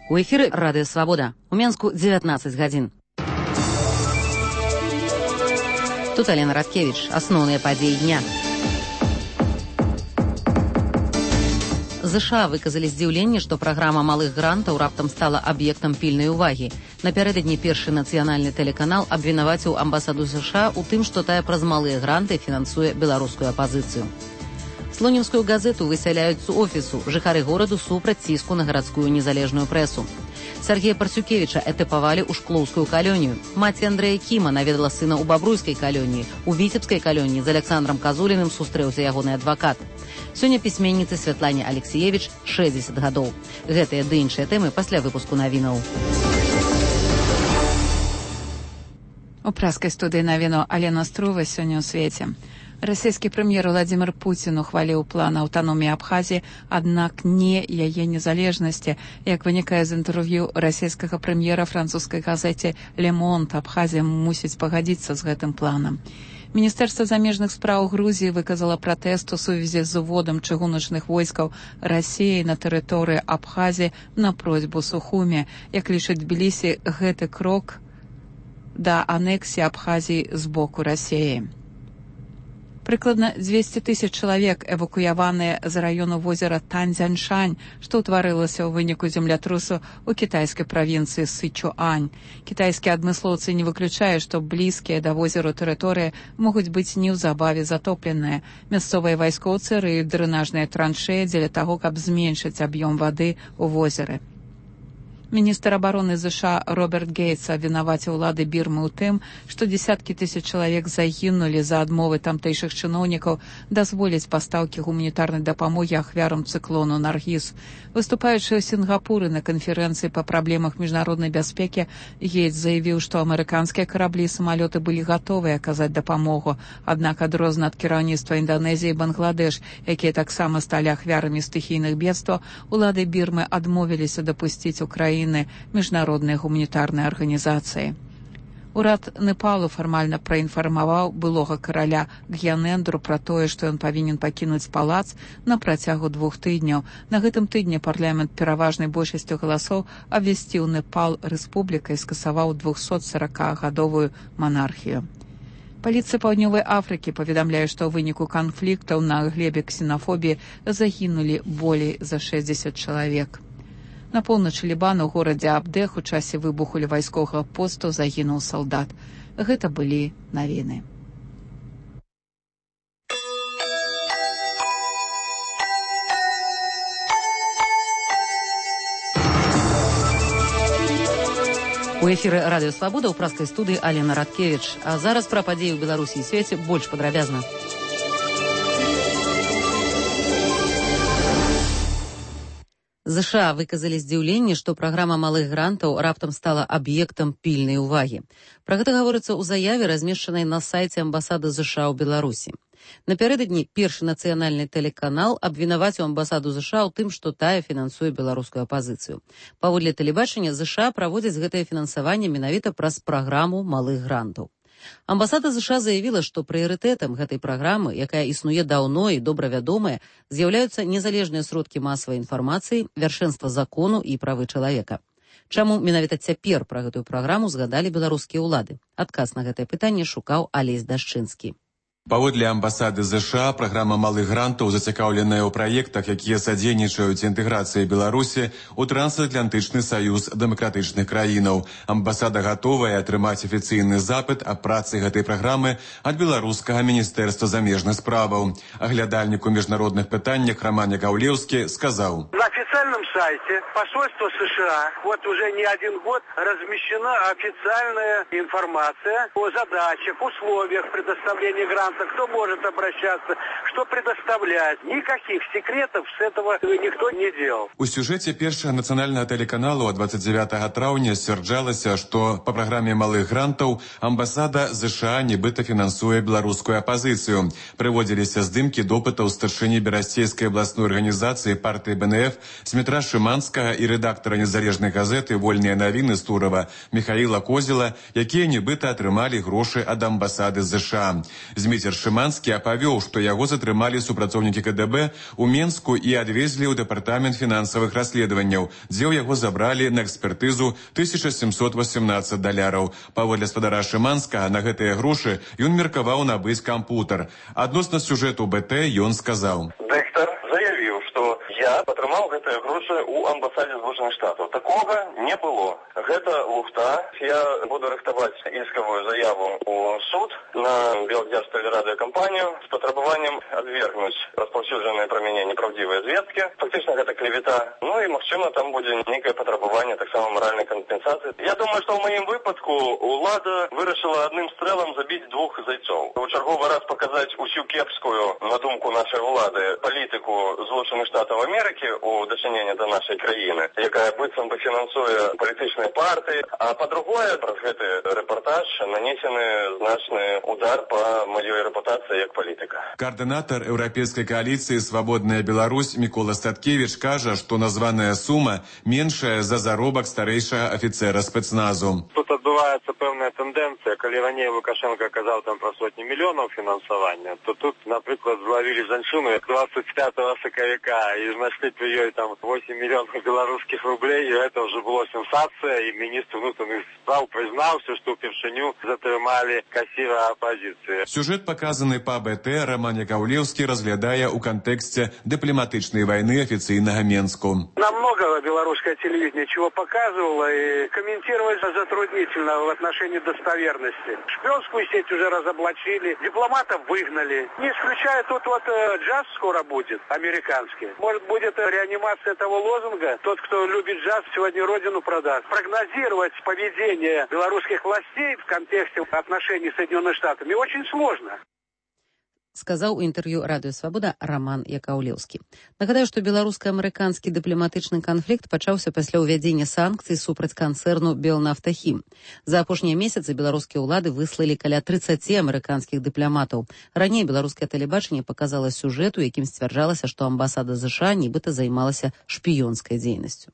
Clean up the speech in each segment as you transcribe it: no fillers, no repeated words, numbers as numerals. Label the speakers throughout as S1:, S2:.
S1: У эфіры Радыё Свабода. У Менску 19 гадзін. Тут Алена Радкевич. Асноўныя падзеі дня. ЗША выказалі здзіўленне, што праграма малых грантаў раптам стала аб'ектам пільнай увагі. Напярэдадні першы нацыянальны тэлеканал абвінаваціў амбасаду ЗША ў тым, што тая праз малыя гранты фінансуе беларускую апазіцыю. Слонімскую газету высяляюць з офісу. Жыхары гораду супраць ціску на гарадскую незалежную прэсу. Сергея Парцюкевіча этапавалі ў шклоўскую калонію. Маці Андрэя Кіма наведала сына ў бабруйскай калоніі. У віцебскай калоніі з Александром Казуліным сустрэўся ягоны адвакат. Сёння пісьменніцы Святлане Алексеевич 60 гадоў. Гэтыя ды іншыя тэмы пасля выпуску навінаў.
S2: У праскай студыі навіну Алена Струва сёння ў свеце. Расійскі прэм'ер Владзімір Пуцін ухваліў план аўтаноміі Абхазіі, аднак не яе незалежнасці. Як вынікае з інтэрв'ю расійскага прэм'ера французскай газеце «Le Monde», Абхазія мусіць пагадзіцца з гэтым планам. Міністэрства замежных спраў Грузіі выказала пратэст у сувязі з уводам чыгуначных войскаў Расіі на тэрыторыі Абхазіі на просьбу Сухуми. Як лічыць Тбілісі, гэты крок да анексіі Абхазіі з боку Расіі. Прыкладна 200 000 чалавек эвакуяваныя з раёну возера Танзяншань, што ўтварылася ў выніку землятрусу ў кітайскай правінцыі Сычуань. Кітайскія адмыслоўцы не выключаюць, што блізкія да возеру тэрыторыі могуць быць неўзабаве затопленыя. Мясцовыя вайскоўцы рыюць дрэнажныя траншеі дзеля таго, каб зменшыць аб'ём вады ў возеры. Міністр абароны ЗША Роберт Гейтс абвінаваціў улады Бірмы ў тым, што дзесяткі тысяч чалавек загінулі за адмовы тамтэйшых чыноўнікаў дазволіць пастаўкі гуманітарнай дапамогі ахвярам цыклону Наргіз. Выступаючы ў Сінгапуры на канферэнцыі па праблемах міжнароднай бяспекі, Гейтс заявіў, што амерыканскія караблі і самалёты былі гатовыя аказаць дапамогу, аднак адрозна ад кіраўніцтва Інданезіі і Бангладеш, якія таксама сталі ахвярамі стыхійных бедстваў, улады Бірмы адмовіліся дапусціць у краіну міжнароднай гуманітарнай арганізацыі. Урад Непалу фармальна праінфармаваў былога караля Гьянэндру пра тое, што ён павінен пакінуць палац на працягу 2 тыдняў. На гэтым тыдні парламент пераважнай большасцю галасоў абвясціў Непал рэспублікай і скасаваў 240-гадовую манархію. Паліцыя Паўднёвай Афрыкі паведамляе, што ў выніку канфліктаў на глебе ксенафобіі загінулі болей за 60 чалавек. На поўначы Лібана ў горадзе Абдэх у часе выбуху ля вайсковага посту загінуў салдат. Гэта былі навіны.
S1: У эфіры Радыё Свабода ў праскай студыі Алена Радкевич. А зараз пра падзеі ў Беларусі і свеце больш падрабязна. ЗША выказалі здзіўленне, што праграма малых грантаў раптам стала аб'ектам пільнай увагі. Пра гэта гаворыцца ў заяве, размешчанай на сайце амбасады ЗША ў Беларусі. Напярэдадні першы нацыянальны тэлеканал абвінаваціў амбасаду ЗША ў тым, што тая фінансуе беларускую апазіцыю. Паводле тэлебачання ЗША праводзяць гэтае фінансаванне менавіта праз праграму малых грантаў. Амбасада ЗША заявіла, што прыярытэтам гэтай праграмы, якая існуе даўно і добра вядомая, з'яўляюцца незалежныя сродкі масавай інфармацыі, вяршэнства закону і правы чалавека. Чаму менавіта цяпер пра гэтую праграму згадалі беларускія ўлады? Адказ на гэтае пытанне шукаў Алесь Дашчынскі.
S3: Паводле амбасады ЗША, праграма малых грантаў зацікаўленая ў праектах, якія садзейнічаюць інтэграцыі Беларусі ў трансатлантычны саюз дэмакратычных краінаў. Амбасада гатовая атрымаць афіцыйны запыт аб працы гэтай праграмы ад беларускага міністэрства замежных справаў. Аглядальнік у міжнародных пытаннях Роман Яковлеўскі сказаў:
S4: На официальном сайте посольства США вот уже не один год размещена официальная информация о задачах, условиях предоставления грантов, кто может обращаться, что предоставлять. Никаких секретов с этого никто не делал.
S3: У сюжэце першага нацыянальнага тэлеканалу 29 траўня сцвярджалася, што па праграме малых грантаў амбасада ЗША нібыта фінансуе беларускую апазіцыю. Прыводзіліся здымкі допытаў старшыні берасцейскай абласной арганізацыі партыі БНФ Змітра Шыманскага і рэдактара незалежнай газеты «Вольныя навіны» з Турова Михаіла Козела, якія нібыта атрымалі грошы ад амбасады ЗША. Зміцер Шыманскі апавёў, што яго затрымалі супрацоўнікі КДБ у Менску і адвезлі ў дэпартамент фінансавых расследаванняў, дзе ў яго забралі на экспертызу $1718. Паводле спадара Шыманскага, на гэтыя грошы ён меркаваў набыць кампутар. Адносна сюжэту БТ ён сказаў:
S5: Дыктар заявіў, што я атрымаў гэтыя грошы ў амбасадзе Злучаных Штатаў. Такога не было. Гэта лухта. Я буду рыхтаваць іскавую заяву ў суд на Белгазтэлерадыёкампанію з патрабаваннем адвергнуць распаўсюджаныя пра мяне непраўдзівыя звесткі. Фактычна гэта клевета. Ну і, магчыма, там будзе нейкае патрабаванне таксама маральнай кампенсацыі. Я думаю, што ў маім выпадку ўлада вырашыла адным стрэлам забіць двух зайцоў. У чарговы раз паказаць усю кепскую, на думку нашай улады, палітыку Злучаных Штатаў Амерыкі ў дачыненні да нашай краіны, якая быццам бы фінансуе палітычныя партыі. А па-другое, праз гэты рэпартаж нанесены значны удар па маёй рэпутацыі як палітыка.
S3: Координатор Еўрапейскай коаліцыі «Свабодная Беларусь» Мікола Статкевіч кажа, што названая сума меншая за заробак старэйшага афіцера спецназу.
S6: Тут адбываецца пэўная тэндэнцыя. Калі раней Лукашенко казаў там пра сотні мільёнаў фінансавання, то тут, напрыклад, злавілі жанчыну 25 сакавіка і знайшлі пры ёй там 8 мільёнаў беларускіх рублей, і гэта ўжо было сенсацыя, і міністр внутренних справ прызнаўся, што ўпершыню затрымалі касіра апазіцыі.
S3: Сюжэт, паказаны па БТ, Роман Яковлевский разглядае ў кантэксце дыпламатычнай вайны афіцыйнага Менску.
S4: Нам много белорусское телевидение чего показывало, и комментировать затруднительно в отношении достоверности. Шпионскую сеть уже разоблачили, дипломатов выгнали. Не исключая, тут вот джаз скоро будет, американский. Может, будет реанимация этого лозунга. Тот, кто любит джаз, сегодня родину продаст. Прогнозировать поведение белорусских властей в контексте отношений с Соединенными Штатами очень сложно.
S1: Сказаў у інтэрв'ю Радыё Свабода Роман Яковлевский. Нагадаю, што беларуска-амерыканскі дыпламатычны канфлікт пачаўся пасля ўвядзення санкцый супраць канцэрну «Белнафтахім». За апошнія месяцы беларускія ўлады выслалі каля 30 амерыканскіх дыпламатаў. Раней беларускае тэлебачанне паказала сюжэт, у якім сцвярджалася, што амбасада ЗША нібыта займалася шпіёнскай дзейнасцю.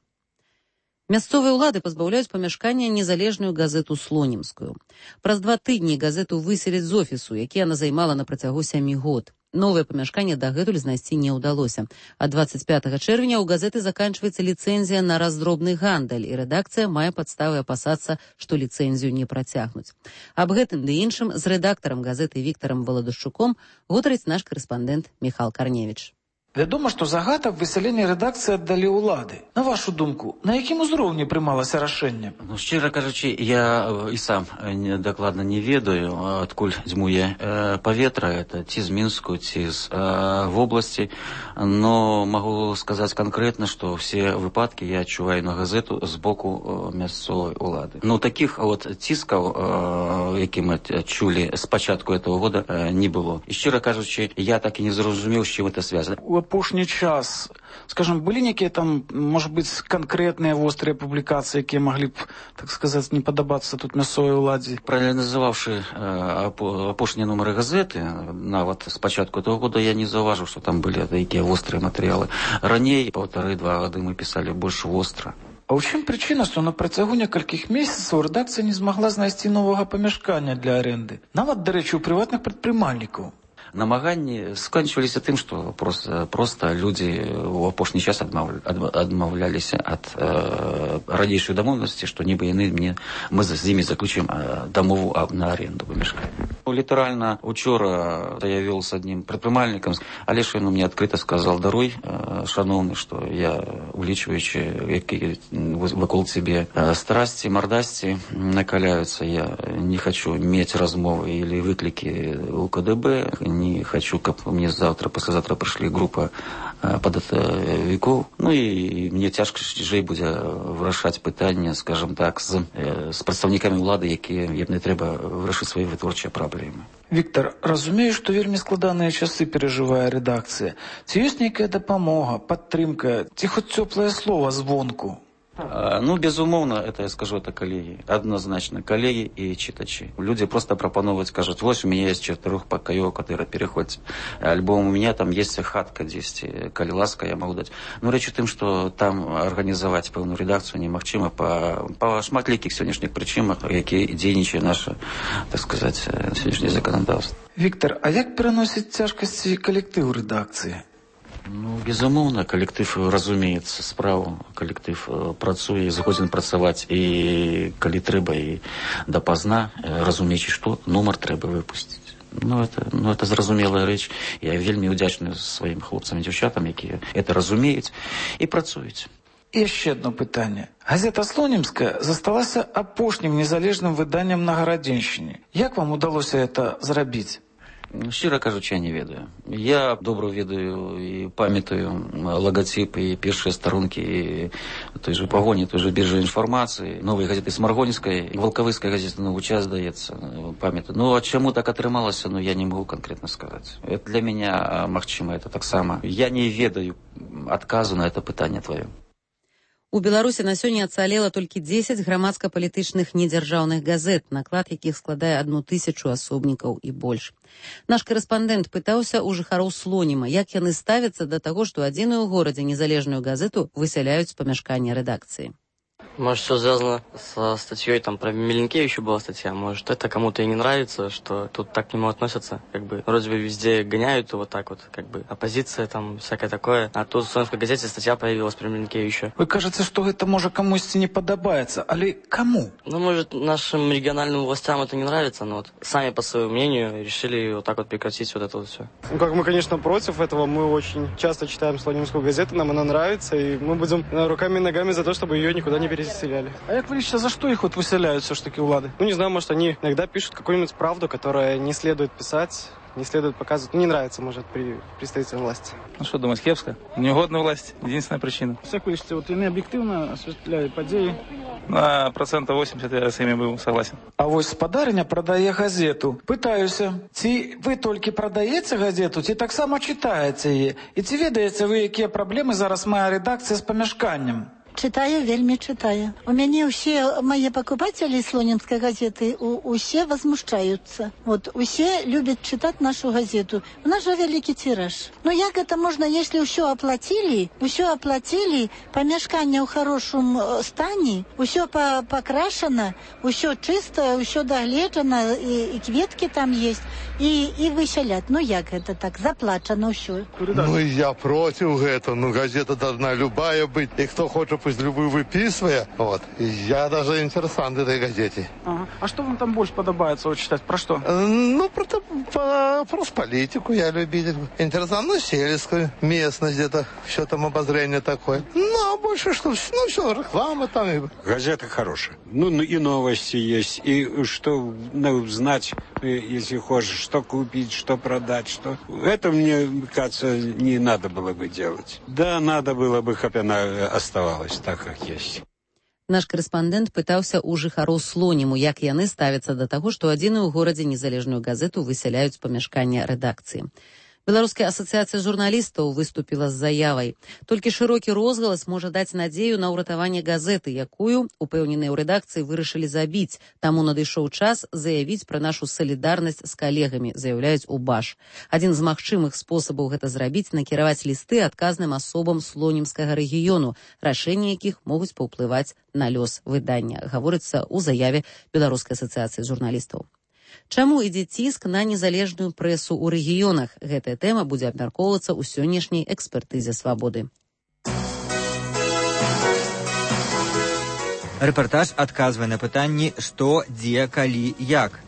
S1: Мясцовыя ўлады пазбаўляюць памяшкання незалежную газету «Слонімскую». Праз 2 тыдні газету выселяць з офісу, які яна займала на працягу 7 год. Новае памяшканне дагэтуль знайсці не ўдалося. А 25 чэрвеня ў газеты заканчваецца ліцэнзія на раздробны гандаль, і рэдакцыя мае падставы апасацца, што ліцэнзію не працягнуць. Аб гэтым ды іншым з рэдактарам газеты Віктарам Валадушчуком гутарыць наш карэспандэнт Міхал Карневіч.
S7: Вядома, што загад аб высяленні рэдакцыі аддалі ўлады. На вашу думку, на якім узроўні прымалася рашэнне?
S8: Ну, шчыра кажучы, я і сам дакладна не ведаю, адкуль дзьмуе паветра, это ці з Мінску, ці з вобласці, но магу сказаць канкрэтна, што ўсе выпадкі я адчуваю на газету з боку мясцовай улады. Ну, такіх вот ціскаў, які мы чулі з пачатку этого года, не было. І шчыра кажучы, я так і не зразумеў, з чым это звязана.
S7: Апошні час, скажем, былі некія там, может быть, канкрэтныя вострыя публікацыі, якія маглі б, так сказаць, не падабацца тут мясцовай уладзе?
S8: Прааналізаваўшы апошнія нумары газеты, нават з пачатку этого года я не заўважыў, што там былі такія вострыя матэрыялы. Раней, 1,5-2 гады мы пісалі больш востра.
S7: А ў чым прычына, што на працягу некалькіх месяцаў рэдакцыя не змагла знайсці новага памяшкання для арэнды? Нават, дарэчы, у прыватных прадпрымальнікаў.
S8: Намаганні скончваліся тым, што проста людзі ў апошні час адмаўляліся ад ранейшай дамоўленасці, што нібы мы з імі заключым дамову на аренду памяшкання. Літаральна учора я вёл з аднім прадпрымальнікам, але ж ён мне адкрыта сказал: даруй, шаноўны, што я, улічваючы, які вакол цябе страсці, мардасці накаляюцца, я не хочу мець размовы или выклікі у КДБ, не хочу, каб мне завтра, послезавтра прыйшлі група падатавікоў. Ну і мне цяжэй будзе вырашаць пытанне, скажем так, з прадстаўнікамі ўлады, якія не трэба вырашыць свае вытворчыя праблемы.
S7: Віктор, разумею, што вельмі складаныя часы перажывае рэдакцыя. Ці ёсць нейкая дапамога, падтрымка, ці хоць цёплае слова звонку?
S8: Ну, безумоўна, это я скажу, это коллеги. Однозначно, коллеги и читачи. Люди просто пропановывают, скажут, вот у меня есть 4-покоёвый, который переходит альбом, у меня там есть хатка 10, коли ласка, я могу дать. Но речь о том, что там организовать певную редакцию немагчыма по шматлікіх сённяшніх прычынах, які дзейнічае наша, так сказать, сённяшняе законодаўства.
S7: Виктор, а як пераносіць цяжкасці калектыў рэдакцыі?
S8: Ну, безумоўна, калектыв разумеецца справу, калектыв працуе, згодзін працаваць і калі трэба і дапазна, разумеючы, што нумар трэба выпусціць. Ну, это зразумелая рэч. Я вельмі ўдзячны сваім хлопцам і дзяўчатам, якія это разумеюць і працуюць.
S7: І яшчэ одно пытанне. Газета «Слонімская» засталася апошнім незалежным выданнем на Гарадзеншчыне. Як вам удалося это зрабіць?
S8: Шчыра кажучы, я не ведаю. Я добра ведаю і памятаю лагатып і першыя старонкі і той же пагоні, той же біржы інфармацыі, новай газеты Смаргонскай, Валкавыскай газеты «Новы час», здаецца, памятаю. Ну, а чаму так атрымалася, ну, я не могу конкретно сказаць. Это для меня, магчыма, это таксама. Я не ведаю адказу на это пытанне твоё.
S1: У Беларусі на сёння ацалела толькі 10 грамадска-палітычных недзяржаўных газет, наклад якіх складае 1000 асобнікаў і больш. Наш корэспандэнт пытаўся у жыхароў Слоніма, як яны ставяцца да таго, што адзіную ў горадзе незалежную газету высяляюць з памяшкання рэдакцыі.
S9: Может, все связано со статьей, там про Меленкевича была статья. Может, это кому-то и не нравится, что тут так к нему относятся. Как бы, вроде бы везде гоняют его так вот, как бы, оппозиция там, всякое такое. А тут в Слонімскай газете статья появилась про Меленкевича.
S7: Вы кажется, что это может кому-то не подобается, але кому?
S9: Ну, может, нашим региональным властям это не нравится, но вот сами по своему мнению решили вот так вот прекратить вот это вот все.
S10: Ну, как мы, конечно, против этого. Мы очень часто читаем Слонимскую газету, нам она нравится, и мы будем руками и ногами за то, чтобы ее никуда не переселяли.
S7: А як вы лично за что их вот выселяют все ж таки улады?
S10: Ну, не знаю, может, они иногда пишут какую-нибудь правду, которая не следует писать, не следует показывать. Не нравится, может, при представительной власти.
S11: Ну, что думаешь, кепска? Неугодна власть. Единственная причина.
S7: Як ви лічите, от вони об'єктивно освітляють події?
S11: На 80% я с ими был согласен.
S7: А вось спадарня продае газету. Пытаюся, ці вы толькі прадаеце газету, ці таксама читаеце яе? І ці ведаеце вы, якія праблемы зараз мае рэдакцыя з памяшканнем?
S12: Читаю, вельми читаю. У меня все мои покупатели Слонимской газеты, все возмущаются. Вот, все любят читать нашу газету. У нас же великий тираж. Но як это можно, если все оплатили, помешкание в хорошем стане, все покрашено, все чисто, все догледжено, и кветки там есть, и выселят. Ну як это так, заплачено все.
S13: Ну я против этого, ну газета должна любая быть, и кто хочет пусть любую выписывая. Вот. Я даже интересант этой газете.
S7: Ага. А что вам там больше подобается вот читать? Про что?
S13: Ну, про политику я любитель. Интересант, ну, сельскую местность где-то. Все там обозрение такое. Ну, а больше что? Ну, все, реклама там.
S14: Газета хорошая. Ну, и новости есть. И что знать, если хочешь, что купить, что продать, что... Это, мне кажется, не надо было бы делать. Да, надо было бы, как она оставалась так, как есть.
S1: Наш корэспандэнт пытаўся ў жыхароў Слоніму, як яны ставяцца да таго, што адзіную ў горадзе незалежную газету высяляюць з памяшкання рэдакцыі. Беларуская асацыяцыя журналістаў выступіла з заявай. Толькі шырокі розгалас можа даць надзею на ўратаванне газеты, якую, упэўненыя ў рэдакцыі, вырашылі забіць. Таму надышоў час заявіць пра нашу салідарнасць з калегамі, заяўляюць у БАШ. Адзін з магчымых спосабаў гэта зрабіць — накіраваць лісты адказным асобам Слонімскага рэгіёну, рашэнні якіх могуць паўплываць на лёс выдання, гаворыцца ў заяве Беларускай асацыяцыі журналістаў. Чаму ідзе ціск на незалежную прэсу ў рэгіёнах? Гэтая тэма будзе абмяркоўвацца ў сённяшняй экспертызе «Свабоды».
S15: Рэпартаж адказвае на пытанні «Што, дзе, калі, як?».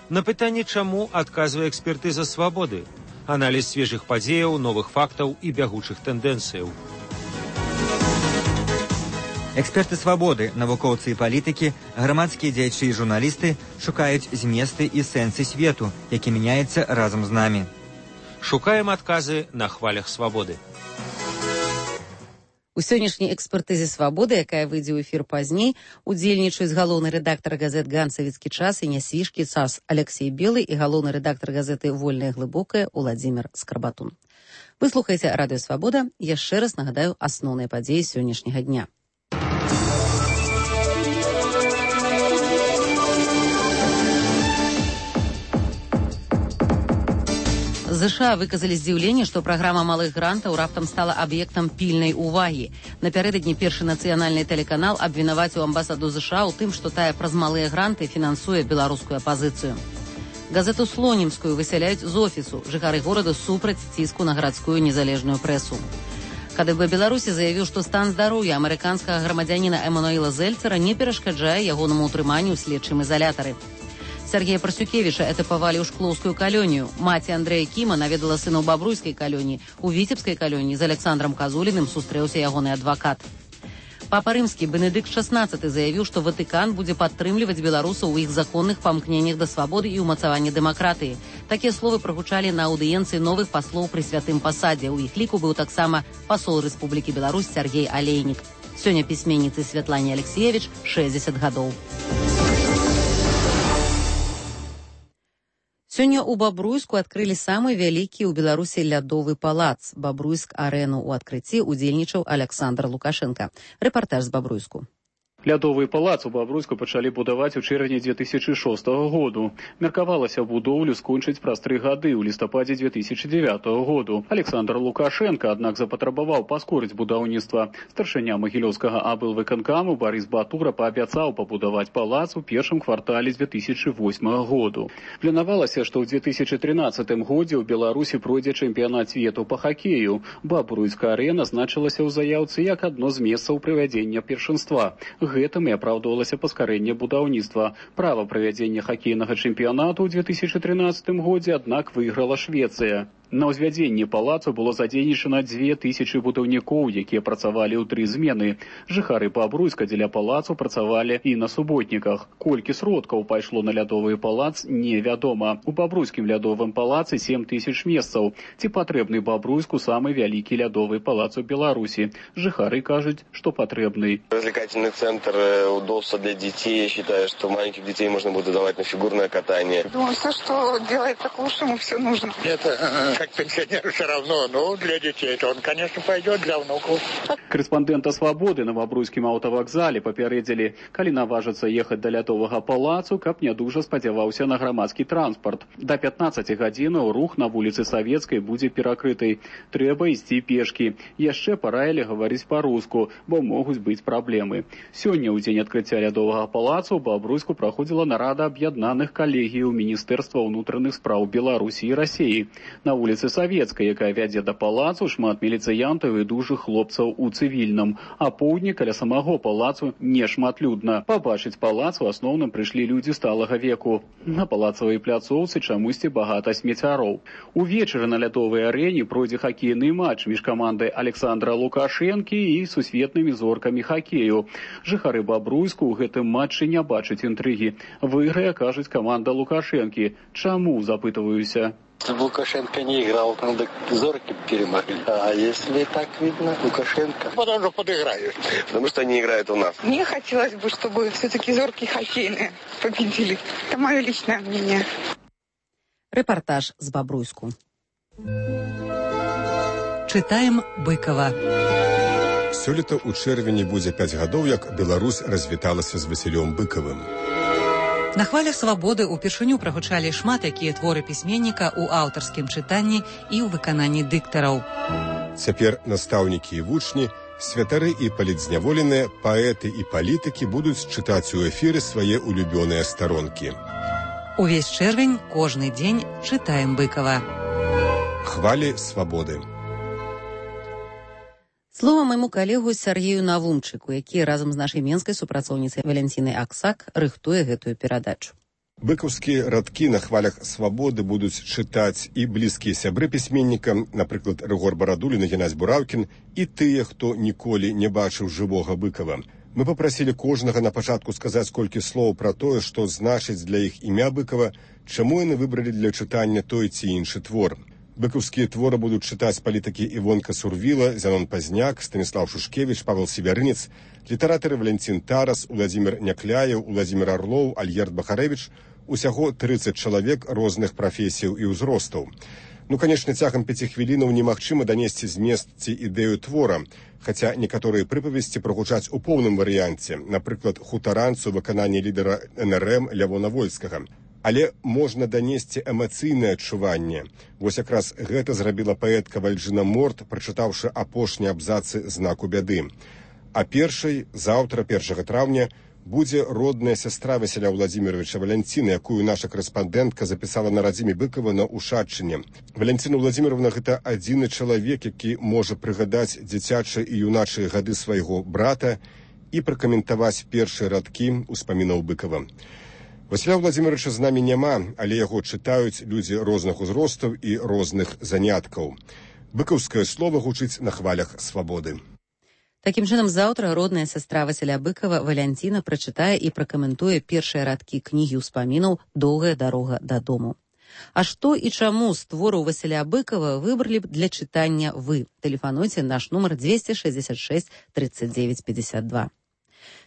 S16: На пытанне «Чаму» адказвае экспертыза «Свабоды». Аналіз свежых падзеяў, новых фактаў і бягучых тэндэнцыяў.
S15: Эксперты «Свабоды», навукоўцы і палітыкі, грамадскія дзеячы і журналісты шукаюць зместы і сэнсы свету, які мяняецца разам з намі.
S16: Шукаем адказы на хвалях «Свабоды».
S1: У сённяшняй экспертызе «Свабоды», якая выйдзе ў эфір пазней, удзельнічаюць галоўны рэдактар газет «Ганцавіцкі час» і «Нясвіжкі час» Алексей Белы і галоўны рэдактар газеты «Вольная глыбокая» Уладзімир Скарбатун. Вы слухаеце радыё «Свабода». Яшчэ раз нагадаю асноўныя падзеі сённяшняга дня. ЗША выказалі здзіўленне, што праграма малых грантаў раптам стала аб'ектам пільнай увагі. Напярэдадні першы нацыянальны тэлеканал абвінаваціў амбасаду ЗША ў тым, што тая праз малыя гранты фінансуе беларускую апазіцыю. Газету «Слонімскую» высяляюць з офісу. Жыхары горада супраць ціску на гарадскую незалежную прэсу. КДБ Беларусі заявіў, што стан здароўя амерыканскага грамадзяніна Эмануэла Зельцера не перашкаджае ягонаму ўтрыманню ў следчым изолятары. Сергея Парсюкевича этапавалі ў шклоўскую калонію. Маці Андрэя Кіма наведала сына ў бабруйскай калоніі. У віцебскай калоніі з Александром Казуліным сустрэўся ягоны адвакат. Папа рымскі Бенедыкт XVI заявіў, што Ватыкан будзе падтрымліваць беларусаў у іх законных памкненнях да свабоды і ўмацавання дэмакратыі. Такія словы прагучалі на аўдыенцыі новых паслоў пры святым пасадзе. У іх ліку быў таксама пасол Рэспублікі Беларусь Сергей Алейнік. Сёння пісьменніцы Святлане Алексеевич 60 гадоў. Сёння ў Бабруйску адкрылі самы вялікі ў Беларусі лядовы палац. Бабруйск-арэну ў адкрыцці удзельнічаў Александр Лукашенко. Рэпартаж з Бабруйску.
S17: Лядовы палац у Бабруйску пачалі будаваць у чэрвені 2006 году. Меркавалася будоўлю скончыць праз 3 гады ў лістападзе 2009 году. Александр Лукашенко, аднак, запатрабаваў паскорыць будаўніцтва. Старшыня магілёўскага аблвыканкаму Барыс Батура паабяцаў пабудаваць палац у першым квартале 2008 году. Планавалася, што ў 2013 годзе ў Беларусі пройдзе чэмпіянат свету па хакею. Бабруйска-арэна значылася ў заяўцы як адно з месцаў правядзення першынства. Гэтым і апраўдвалася паскарэнне будаўніцтва. Права правядзення хакейнага чэмпіянату ў 2013 годзе, аднак, выйграла Швецыя. На ўзвядзенні палацу было задзейнічана 2000 будаўнікоў, якія працавалі ў 3 змены. Жыхары Бабруйска дзеля палацу працавалі і на суботніках. Колькі сродкаў пайшло на лядовы палац, невядома. У Бабруйскім лядовым палацы 7000 месцаў. Ці патрэбны Бабруйску самы вялікі лядовы палац у Беларусі? Жыхары кажуць, што патрэбны.
S5: Развлекательный центр, удобства для детей. Я считаю, что маленьких детей можно будет давать на фигурное катание.
S18: Думаю, все, что делается к лучшему, все нужно.
S19: Это как пенсионеру все равно, но для детей то он, конечно, пойдет, для внуков.
S17: Карэспандэнта «Свабоды» на Бабруйскім аўтавакзале папярэдзілі, калі наважыцца ехаць да лядовага палацу, каб не дужа спадзяваўся на грамадскі транспарт. Да 15 гадзінаў рух на вуліцы Савецкай будзе перакрыты. Трэба ісці пешкі. Яшчэ параілі гаварыць па-руску, бо могуць быць праблемы. Сёння ў дзень адкрыцця лядовага палацу ў Бабруйску праходзіла нарада аб'яднаных калегіяў Міністэрства ўнутраных спраў Беларусі і Расіі. На вуліцы Савецкай, якая вядзе да палацу, шмат міліцыянтаў і дужых хлопцаў у цывільным. А поўдні каля самого палацу нешматлюдна. Пабачыць палац у асноўным прыйшлі людзі сталага веку. На палацавай пляцоўцы чамусьці багата смеццяроў. Увечары на лядовай арэне пройдзе хакейны матч між камандай Александра Лукашэнкі і сусветнымі зоркамі хакею. Жыхары Бабруйску ў гэтым матчы не бачаць інтрыгі. Выйграе, кажуць, каманда Лукашэнкі. Чаму, запытываюся?
S19: Лукашенко не играл, надо зорки перемогли. А если так видно, Лукашенко... Потому что подыграют.
S5: Потому что они играют у нас.
S18: Мне хотелось бы, чтобы все-таки зорки хоккейные победили. Это мое личное мнение.
S1: Рэпартаж з Бабруйску. Чытаем Быкова.
S20: Сёлета ў чэрвені будзе 5 гадоў, як Беларусь развіталася з Васілём Быкавым.
S1: На хвалях свабоды ўпершыню прагучалі шмат якія творы пісьменніка ў аўтарскім чытанні і ў выкананні дыктараў.
S20: Цяпер настаўнікі і вучні, святары і палітзняволеныя, паэты і палітыкі будуць чытаць у эфіры свае улюбёныя старонкі.
S1: Увесь чэрвень, кожны дзень чытаем Быкава.
S20: Хвалі свабоды.
S1: Слова майму калегу Сергею Навумчыку, які разам з нашай менскай супрацоўніцай Валянцінай Аксак рыхтуе гэтую перадачу.
S20: Быкаўскія радкі на хвалях свабоды будуць чытаць і блізкія сябры пісьменніка, напрыклад, Рыгор Барадулін і Геннадзь Бураўкін, і тыя, хто ніколі не бачыў жывога Быкава. Мы папрасілі кожнага на пачатку сказаць колькі слоў пра тое, што значыць для іх імя Быкава, чаму яны выбралі для чытання той ці іншы твор. Быкаўскія творы будуць чытаць палітыкі Івонка Сурвіла, Зянон Пазняк, Станіслав Шушкевіч, Павел Севярынец, літаратары Валянцін Тарас, Уладзімір Някляеў, Уладзімір Арлоў, Альгерд Бахарэвіч, усяго 30 чалавек розных прафесіяў і ўзростаў. Канечне, цягам 5 хвілінаў немагчыма данесці змест ці ідэю твора, хаця некаторыя прыпавесці прагучаць у поўным варыянце, напрыклад, хутаранцу выкананне лідара НРМ Лявона Вольскага. Але можна данесці эмацыйнае адчуванне. Вось якраз гэта зрабіла паэтка Вальжына Морт, прачытаўшы апошнія абзацы знаку бяды. А заўтра, 1 траўня, будзе родная сястра Васіля Владзіміровича Валянціна, якую наша корэспандэнтка запісала на радзіме Быкова на Ушаччыне. Валянціна Владзіміровна – гэта адзіны чалавек, які можа прыгадаць дзіцячыя і юначыя гады свайго брата і пракаментаваць першыя радкі ўспамінаў Быкова. Васіля Владзіміровича з намі няма, але яго чытаюць людзі розных узростаў і розных заняткаў. Быкаўскае слова гучыць на хвалях свабоды.
S1: Такім чынам, заўтра родная сястра Васіля Быкова Валянціна прачытае і пракаментуе першыя радкі кнігі ўспамінаў «Доўгая дарога дадому». А што і чаму з твораў Васіля Быкова выбралі б для чытання вы? Тэлефануйце наш нумар 266 39 52.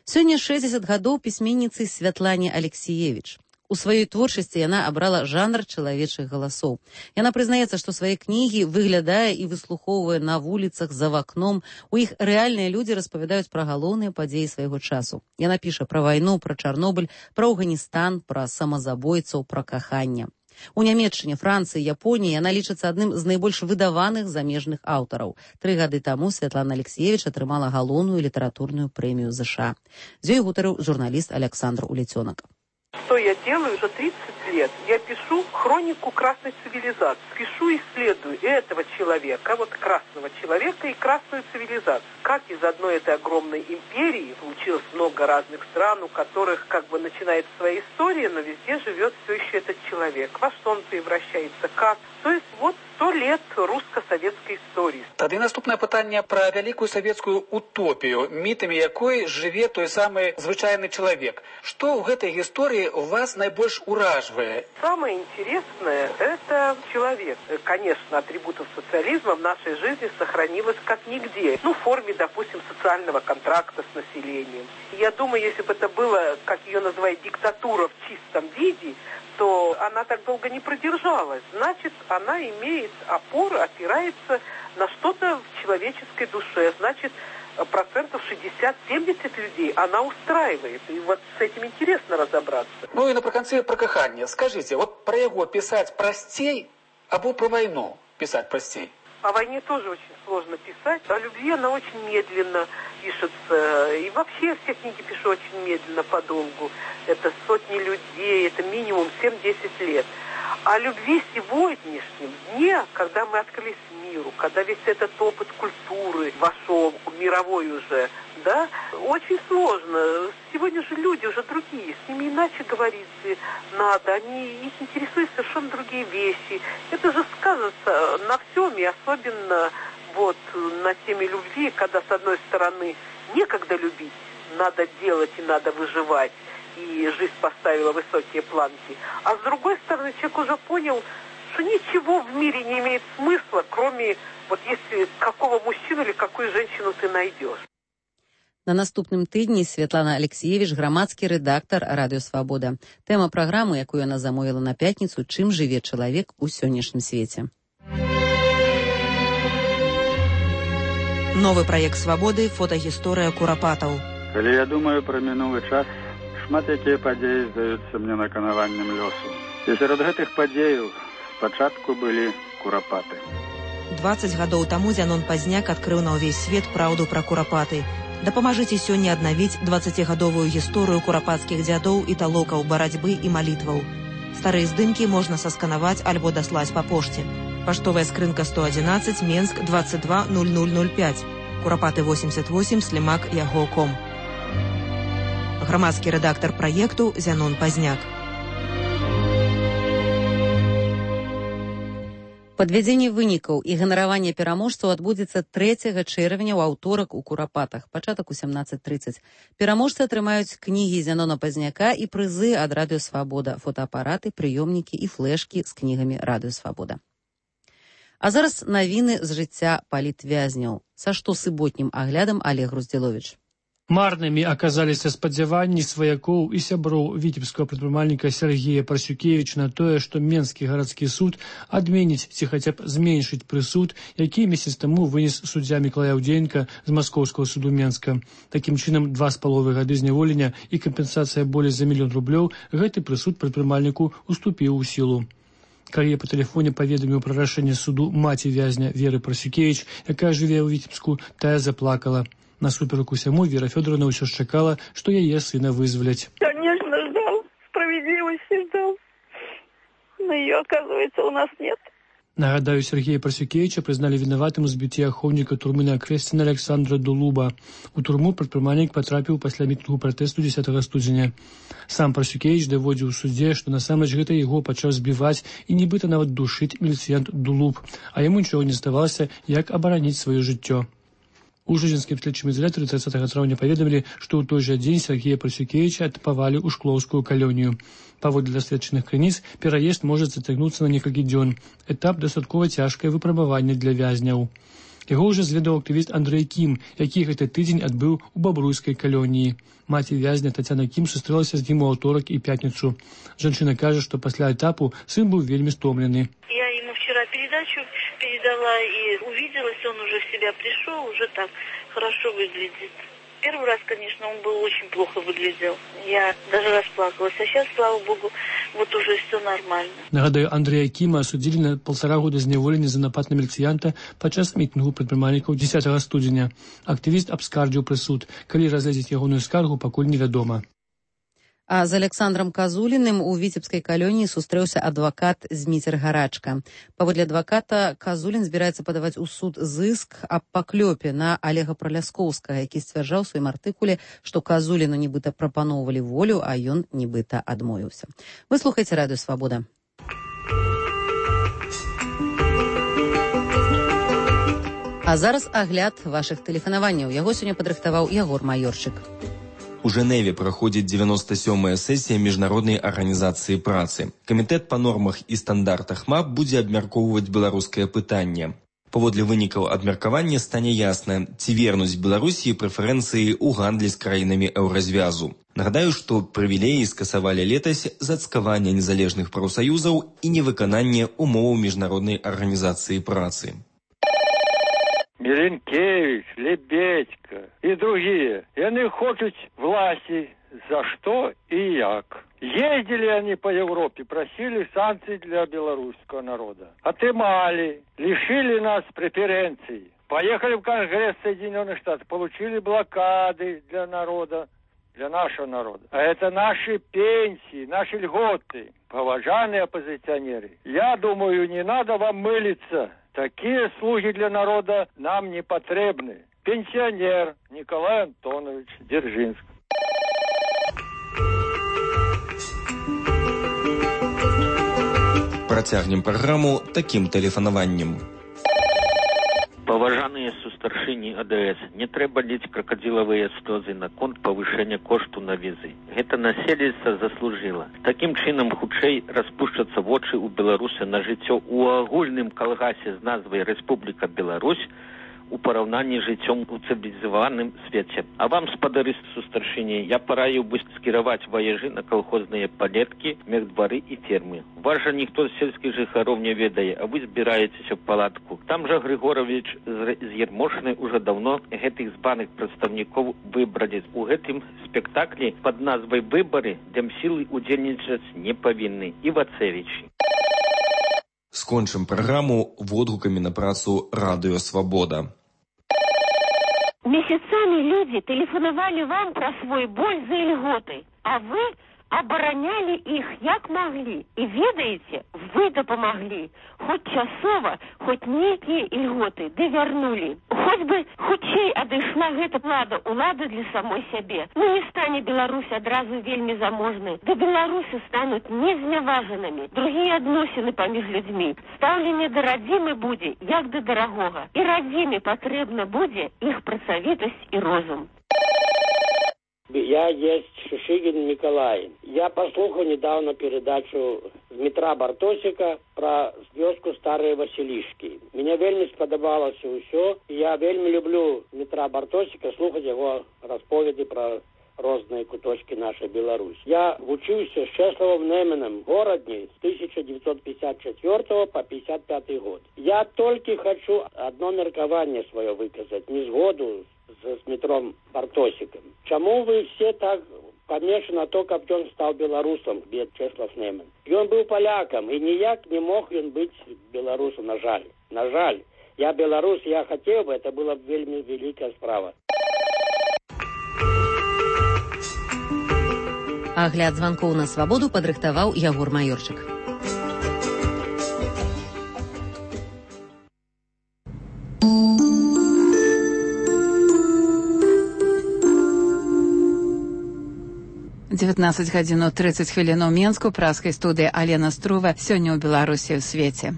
S1: Сёння 60 гадоў пісьменніцы Святлане Алексіевіч. У сваёй творчасці яна абрала жанр чалавечых галасоў. Яна прызнаецца, што свае кнігі выглядае і выслухоўвае на вуліцах, за вакном. У іх рэальныя людзі распавядаюць пра галоўныя падзеі свайго часу. Яна піша пра вайну, пра Чарнобыль, пра Афганістан, пра самазабойцаў, пра каханне. У Нямецчыне, Францыі, Японіі яна лічыцца адным з найбольш выдаваных замежных аўтараў. 3 гады таму Святлана Алексіевіч атрымала галоўную літаратурную прэмію ЗША. З ёй гутарыў журналіст Александр Улецёнак.
S21: Что я делаю уже 30 лет? Я пишу хронику красной цивилизации. Пишу, исследую этого человека, вот красного человека и красную цивилизацию. Как из одной этой огромной империи получилось много разных стран, у которых как бы начинается своя история, но везде живет все еще этот человек. Во что он превращается, как? То есть вот 100 лет русско-советской истории.
S22: Тады наступнае пытанне пра вялікую савецкую утопію, мітамі якой жыве той самы звычайны чалавек. Што ў гэтай гісторыі вас найбольш уражвае?
S21: Самое интересное – это человек. Конечно, атрибутов социализма в нашей жизни сохранилось как нигде. Ну, в форме, допустим, социального контракта с населением. Я думаю, если бы это было, как ее называют, диктатура в чистом виде, то она так долго не продержалась. Значит, она имеет опору, опирается на что-то в человеческой душе. Значит, 60-70% людей она устраивает. И вот с этим интересно разобраться.
S22: Ну и напрыканцы про каханне. Скажите, вот про его писать простей, або про войну писать простей?
S21: О войне тоже очень сложно писать. О любви она очень медленно пишется. И вообще все книги пишу очень медленно, подолгу. Это сотни людей, это минимум 7-10 лет. О любви сегодняшнем дне, когда мы открылись миру, когда весь этот опыт культуры вошел, мировой уже, да, очень сложно. Сегодня же люди уже другие, с ними иначе говорить надо, их интересуют совершенно другие вещи. Это же сказывается на всем, и особенно вот на теме любви, когда с одной стороны некогда любить, надо делать и надо выживать, и жизнь поставила высокие планки. А с другой стороны, человек уже понял, что ничего в мире не имеет смысла, кроме вот если какого мужчину или какую женщину ты найдешь.
S1: На наступным тыдні Святлана Алексіевіч, грамадскі рэдактар Радыё Свабода. Тэма праграмы, якую яна замовіла на пятніцу, чым жыве чалавек у сённяшнім свеце.
S23: Новы праект Свабоды «Фотагісторыя курапатаў».
S24: Калі я думаю пра мінулы час, шмат якія падзеі здаюцца мне наканаваннем лёсу. І сярод гэтых падзеяў спачатку былі курапаты.
S23: 20 гадоў таму Зянон Пазняк адкрыў на ўвесь свет праўду пра курапаты. Дапамажыце сёння аднавіць 20гадовую гісторыю курапацкіх дзядоў і талокаў барацьбы і малітваў. Старыя здымкі можна сасканаваць альбо даслаць па пошце. Паштовая скрынка 111, Менск 220005. Курапаты 88, Слімак Яго.ком. Грамадскі рэдактар праекту Зянон Пазняк.
S1: Падвядзенне вынікаў і ганараванне пераможцаў адбудзецца 3 чэрвеня ў аўторак у Курапатах, пачатак у 17:30. Пераможцы атрымаюць кнігі Зянона Пазняка і прызы ад Радыё Свабода, фотоапараты, прыёмнікі і флешкі з кнігамі Радыё Свабода. А зараз навіны з жыцця палітвязняў. Са штосуботнім аглядам Олег Груздзіловіч.
S2: Марнымі аказаліся спадзяванні сваякоў і сяброў віцебскага прадпрымальніка Сергея Парсюкевіча на тое, што Менскі гарадскі суд адменіць ці хаця б зменшыць прысуд, які месяц таму вынес суддзя Мікалай Аўдзеенка з Маскоўскага суду Менска. Такім чынам, 2,5 гады зняволення і кампенсацыя болей за 1 000 000 рублёў гэты прысуд прадпрымальніку уступіў у сілу. Калі я па тэлефоне паведаміў пра рашэнне суду маці вязня Веры Парсюкевіч, якая жыве ў Віцебску, тая заплакала. Насуперак усяму Вера Фёдоровна ўсё ж чакала, што яе сына вызваляць.
S3: Конечно, ждал. Справедливости ждал. Но ее, оказывается, у нас нет.
S2: Нагадаю, Сергея Парсюкевича признали виноватым у збіцця ахоўніка турмы на Крэсціна Александра Дулуба. У турму прадпрымальнік патрапіў пасля мітынгу пратэсту 10 студзеня. Сам Парсюкевич даводзіў у судзе, што насамрэч гэта яго пачаў збіваць і нібыта нават душыць міліцыянт Дулуб, а яму нічога не здавалася, як абараніць сваё жыццё. У жыцінскім следчым ізалятары 30 траўня паведамілі, што ў той жа дзень Сергея Парсюкевіча адпавалі ў Шклоўскую калонію. Паводле даследчаных крыніц, пераезд можа зацягнуцца на некалькі дзён. Этап дастаткова цяжкае выпрабаванне для вязняў. Яго ўжо зведаў актывіст Андрэй Кім, які гэты тыдзень адбыў у Бабруйскай калоніі. Маці вязня Тацяна Кім сустрэлася з ім у аўторак і пятніцу. Жанчына кажа, што пасля этапу сын быў вельмі стомлены.
S3: Я ему вчера передачу передала и увиделась, он уже в себя пришел, уже так хорошо выглядит. Первый раз, конечно, он был очень плохо выглядел. Я даже расплакалась. А сейчас, слава богу, вот уже все нормально.
S2: Нагадаю, Андрея Кима осудили на 1,5 года зняволення за напад на міліцыянта падчас мітынгу прадпрымальнікаў 10 студзеня. Актывіст абскардзіў прысуд. Калі разгледзець ягоную скаргу, пакуль невядома.
S1: А з Александром Казуліным у Віцебскай калоніі сустрэўся адвакат Зміцер Гарачка. Паводле адваката, Казулін збіраецца падаваць у суд зыск аб паклёпе на Олега Праляскоўскага, які сцвярджаў у сваім артыкуле, што Казуліну нібыта прапаноўвалі волю, а ён нібыта адмовіўся. Вы слухаеце Радыё Свабода. А зараз агляд вашых тэлефанаванняў. Яго сёння падрыхтаваў Ягор Маёрчык.
S4: У Женеве праходзіць 97-я сесія міжнароднай арганізацыі працы. Камітэт па нормах і стандартах МАП будзе абмяркоўваць беларускае пытанне. Паводле вынікаў абмеркавання стане ясна, ці вернуць Беларусі прэферэнцыі ў гандлі з краінамі еўразвязу. Нагадаю, што прывілеі скасавалі летась за цкаванне незалежных прафсаюзаў і невыкананне умоваў міжнароднай арганізацыі працы.
S6: Миленкевич, Лебедько и другие. И они хотят власти. За что и як. Ездили они по Европе, просили санкций для белорусского народа. Отымали, лишили нас преференций. Поехали в Конгресс Соединенных Штатов, получили блокады для народа, для нашего народа. А это наши пенсии, наши льготы. Поважанные оппозиционеры, я думаю, не надо вам мылиться. Такие слуги для народа нам не потребны. Пенсионер Николай Антонович Дзержинск.
S4: Працягнем праграму такім тэлефанаваннем.
S25: Паважаныя сустаршыні АДС, не трэба ліць кракадзілавыя слёзы наконт павышэння кошту на візы. Гэта насельніцтва заслужыла. Такім чынам хутчэй распушчацца вочы ў беларуса на жыццё ў агульным калгасе з назвай Рэспубліка Беларусь у параўнанні з жыццём у цывілізаваным свеце. А вам, спадары сустаршыні, я параіў бы скіраваць ваежы на калхозныя палеткі, мехдвары і фермы. Вас жа ніхто з сельскіх жыхароў не ведае, а вы збіраецеся ў палатку. Там жа Григорович з Ермошны ўжо даўно гэтых збаных прадстаўнікоў выбралі. У гэтым спектаклі пад назвай «Выбары» дэмсілы удзельнічаць не павінны. Івацевич.
S4: Скончым праграму водгукамі на працу Радыё Свабода.
S26: Месяцами люди телефоновали вам про свой боль за льготы, а вы обороняли их як могли. И ведаете, вы допомогли. Хоть часово, хоть некие льготы довернули. Хоть бы хутчэй адышла гэта плада улады для самой сябе. Ну не стане Беларусь адразу вельмі заможнай. Да беларусы станут незняважанымі. Другие адносіны паміж людзьмі. Стаўленне да радзімы будзе, як да дарагога. І радзіме патрэбна будзе іх працавітасць і розум.
S7: Я есть Шишигин Николай. Я послухал недавно передачу Дмитра Бартосика про вёску Старые Василишки. Мне вельми сподобалось усё. Я вельми люблю Дмитра Бартосика, слухать его расповеди про разные куточки нашей Беларуси. Я учился с Чесловым Неменом в городе с 1954 по 55 год. Я только хочу одно меркование свое выказать, незгоду с Дмитром Бартосиком. Чему вы все так помешаны на то, как он стал белорусом, бед Чеслов Немен? И он был поляком, и никак не мог он быть белорусом, на жаль. На жаль. Я белорус, я хотел бы, это была вельми великая справа.
S1: Агляд званкоў на свабоду падрыхтаваў Ягор Маёрчык.
S8: Дзевятнаццаць гадзін 30 хвілін у Менску, праскай студыі Алена Струва, сёння ў Беларусі ў свеце.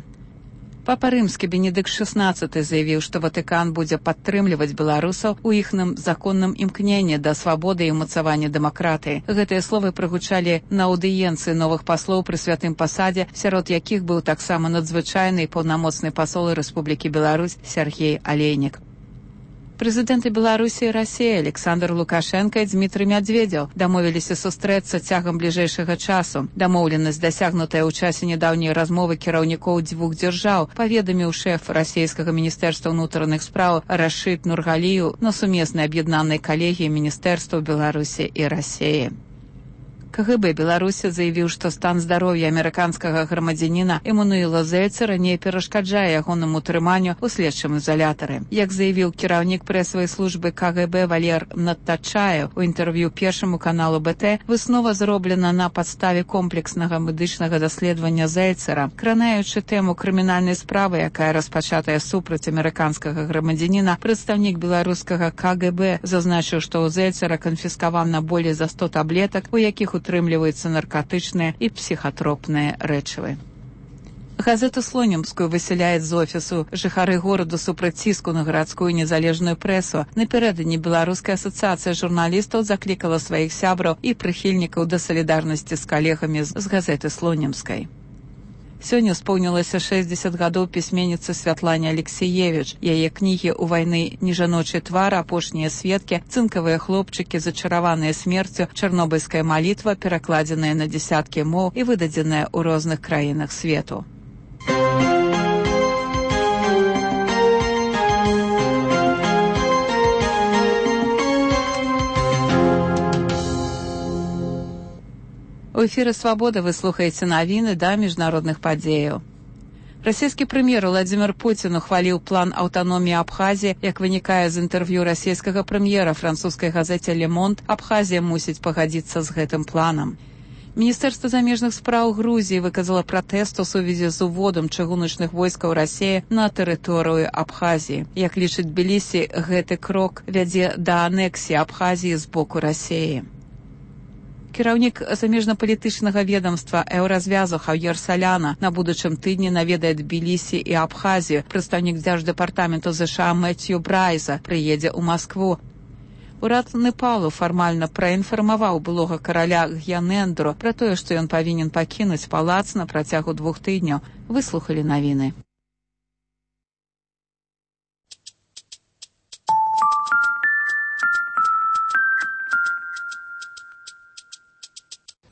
S8: Папа Рымскі Бенедыкт XVI заявіў, што Ватыкан будзе падтрымліваць беларусаў у іхным законным імкненні да свабоды і ўмацавання дэмакратыі. Гэтыя словы прагучалі на аўдыенцыі новых паслоў пры святым пасадзе, сярод якіх быў таксама надзвычайны і паўнамоцны пасол Рэспублікі Беларусь Сергей Алейнік. Прэзідэнты Беларусі і Расіі Александр Лукашенка і Дмітрый Мядзведзеў дамовіліся сустрэцца цягам бліжэйшага часу. Дамоўленасць, дасягнутая ў часе нядаўняй размовы кіраўнікоў дзвюх дзяржаў, паведаміў шэф расійскага міністэрства ўнутраных спраў Рашид Нургалію на сумеснай аб'яднанай калегіі міністэрстваў Беларусі і Расіі. КГБ Беларусі заявіў, што стан здароўя амерыканскага грамадзяніна Эммануэла Зельцера не перашкаджае ягонаму трыманню ў следчым ізалятары. Як заявіў кіраўнік прэсавай службы КГБ Валер Надтачаев у інтэрв'ю першаму каналу БТ, выснова зроблена на падставе комплекснага медычнага даследавання Зельцера, кранаючы тэму крымінальнай справы, якая распачатая супраць амерыканскага грамадзяніна. Прадстаўнік беларускага КГБ зазначыў, што ў Зельцера канфіскавана болей за 100 таблетак, у якіх утрымліваюцца наркотычныя і псіхатропныя рэчывы. Газету «Слонімскую» высяляюць з офісу. Жыхары гораду супраць ціску на гарадскую незалежную прэсу. Напярэдадні Беларуская асацыяцыя журналістаў заклікала сваіх сябраў і прыхільнікаў да салідарнасці з калегамі з газеты «Слонімскай». Сёння споўнілася 60 гадоў пісьменніцы Святлане Алексеевіч. Яе кнігі «У вайны нежаночай твар», «Апошнія сведкі», «Цынкавыя хлопчыкі», «Зачараваныя смерцю», «Чарнобыльская малітва», перакладзеная на дзесяткі моў і выдадзеная ў розных краінах свету. У эфіры «Свабода» вы слухаеце навіны да міжнародных падзеяў. Расійскі прэм'ер Владзімір Пуцін ухваліў план аўтаноміі Абхазіі. Як вынікае з інтэрв'ю расійскага прэм'ера французскай газеце «Le Monde», Абхазія мусіць пагадзіцца з гэтым планам. Міністэрства замежных спраў Грузіі выказала пратэст у сувязі з уводам чыгуначных войскаў Расіі на тэрыторыю Абхазіі. Як лічыць Тбілісі, гэты крок вядзе да анексіі Абхазіі з боку Расіі. Кіраўнік замежнапалітычнага ведомства Еўразвязу Хаўер Саляна на будучым тыдні наведае Тбілісі і Абхазію. Прадстаўнік дзярждэпартаменту ЗША Мэцью Брайза прыедзе ў Маскву. Урад Непалу фармальна праінфармаваў былога караля Гьянэндру пра тое, што ён павінен пакінуць палац на працягу 2 тыдняў. Выслухалі навіны.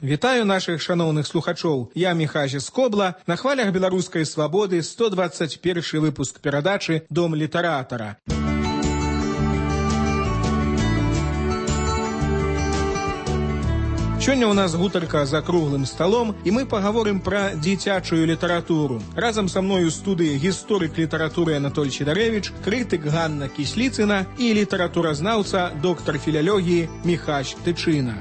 S9: Вітаю наших шановних слухачоў. Я Міхажі Скобла. На хвалях беларускай свабоды 121 выпуск перадачы «Дом літаратара». Сёння ў нас гутарка за круглым сталом, і мы пагаворым пра дзіцячую літаратуру. Разам са мною ў студыі гісторык літаратуры Анатоль Чедарэвіч, крытык Ганна Кісліцына і літаратуразнаўца, доктар філялогіі Міхась Тычына.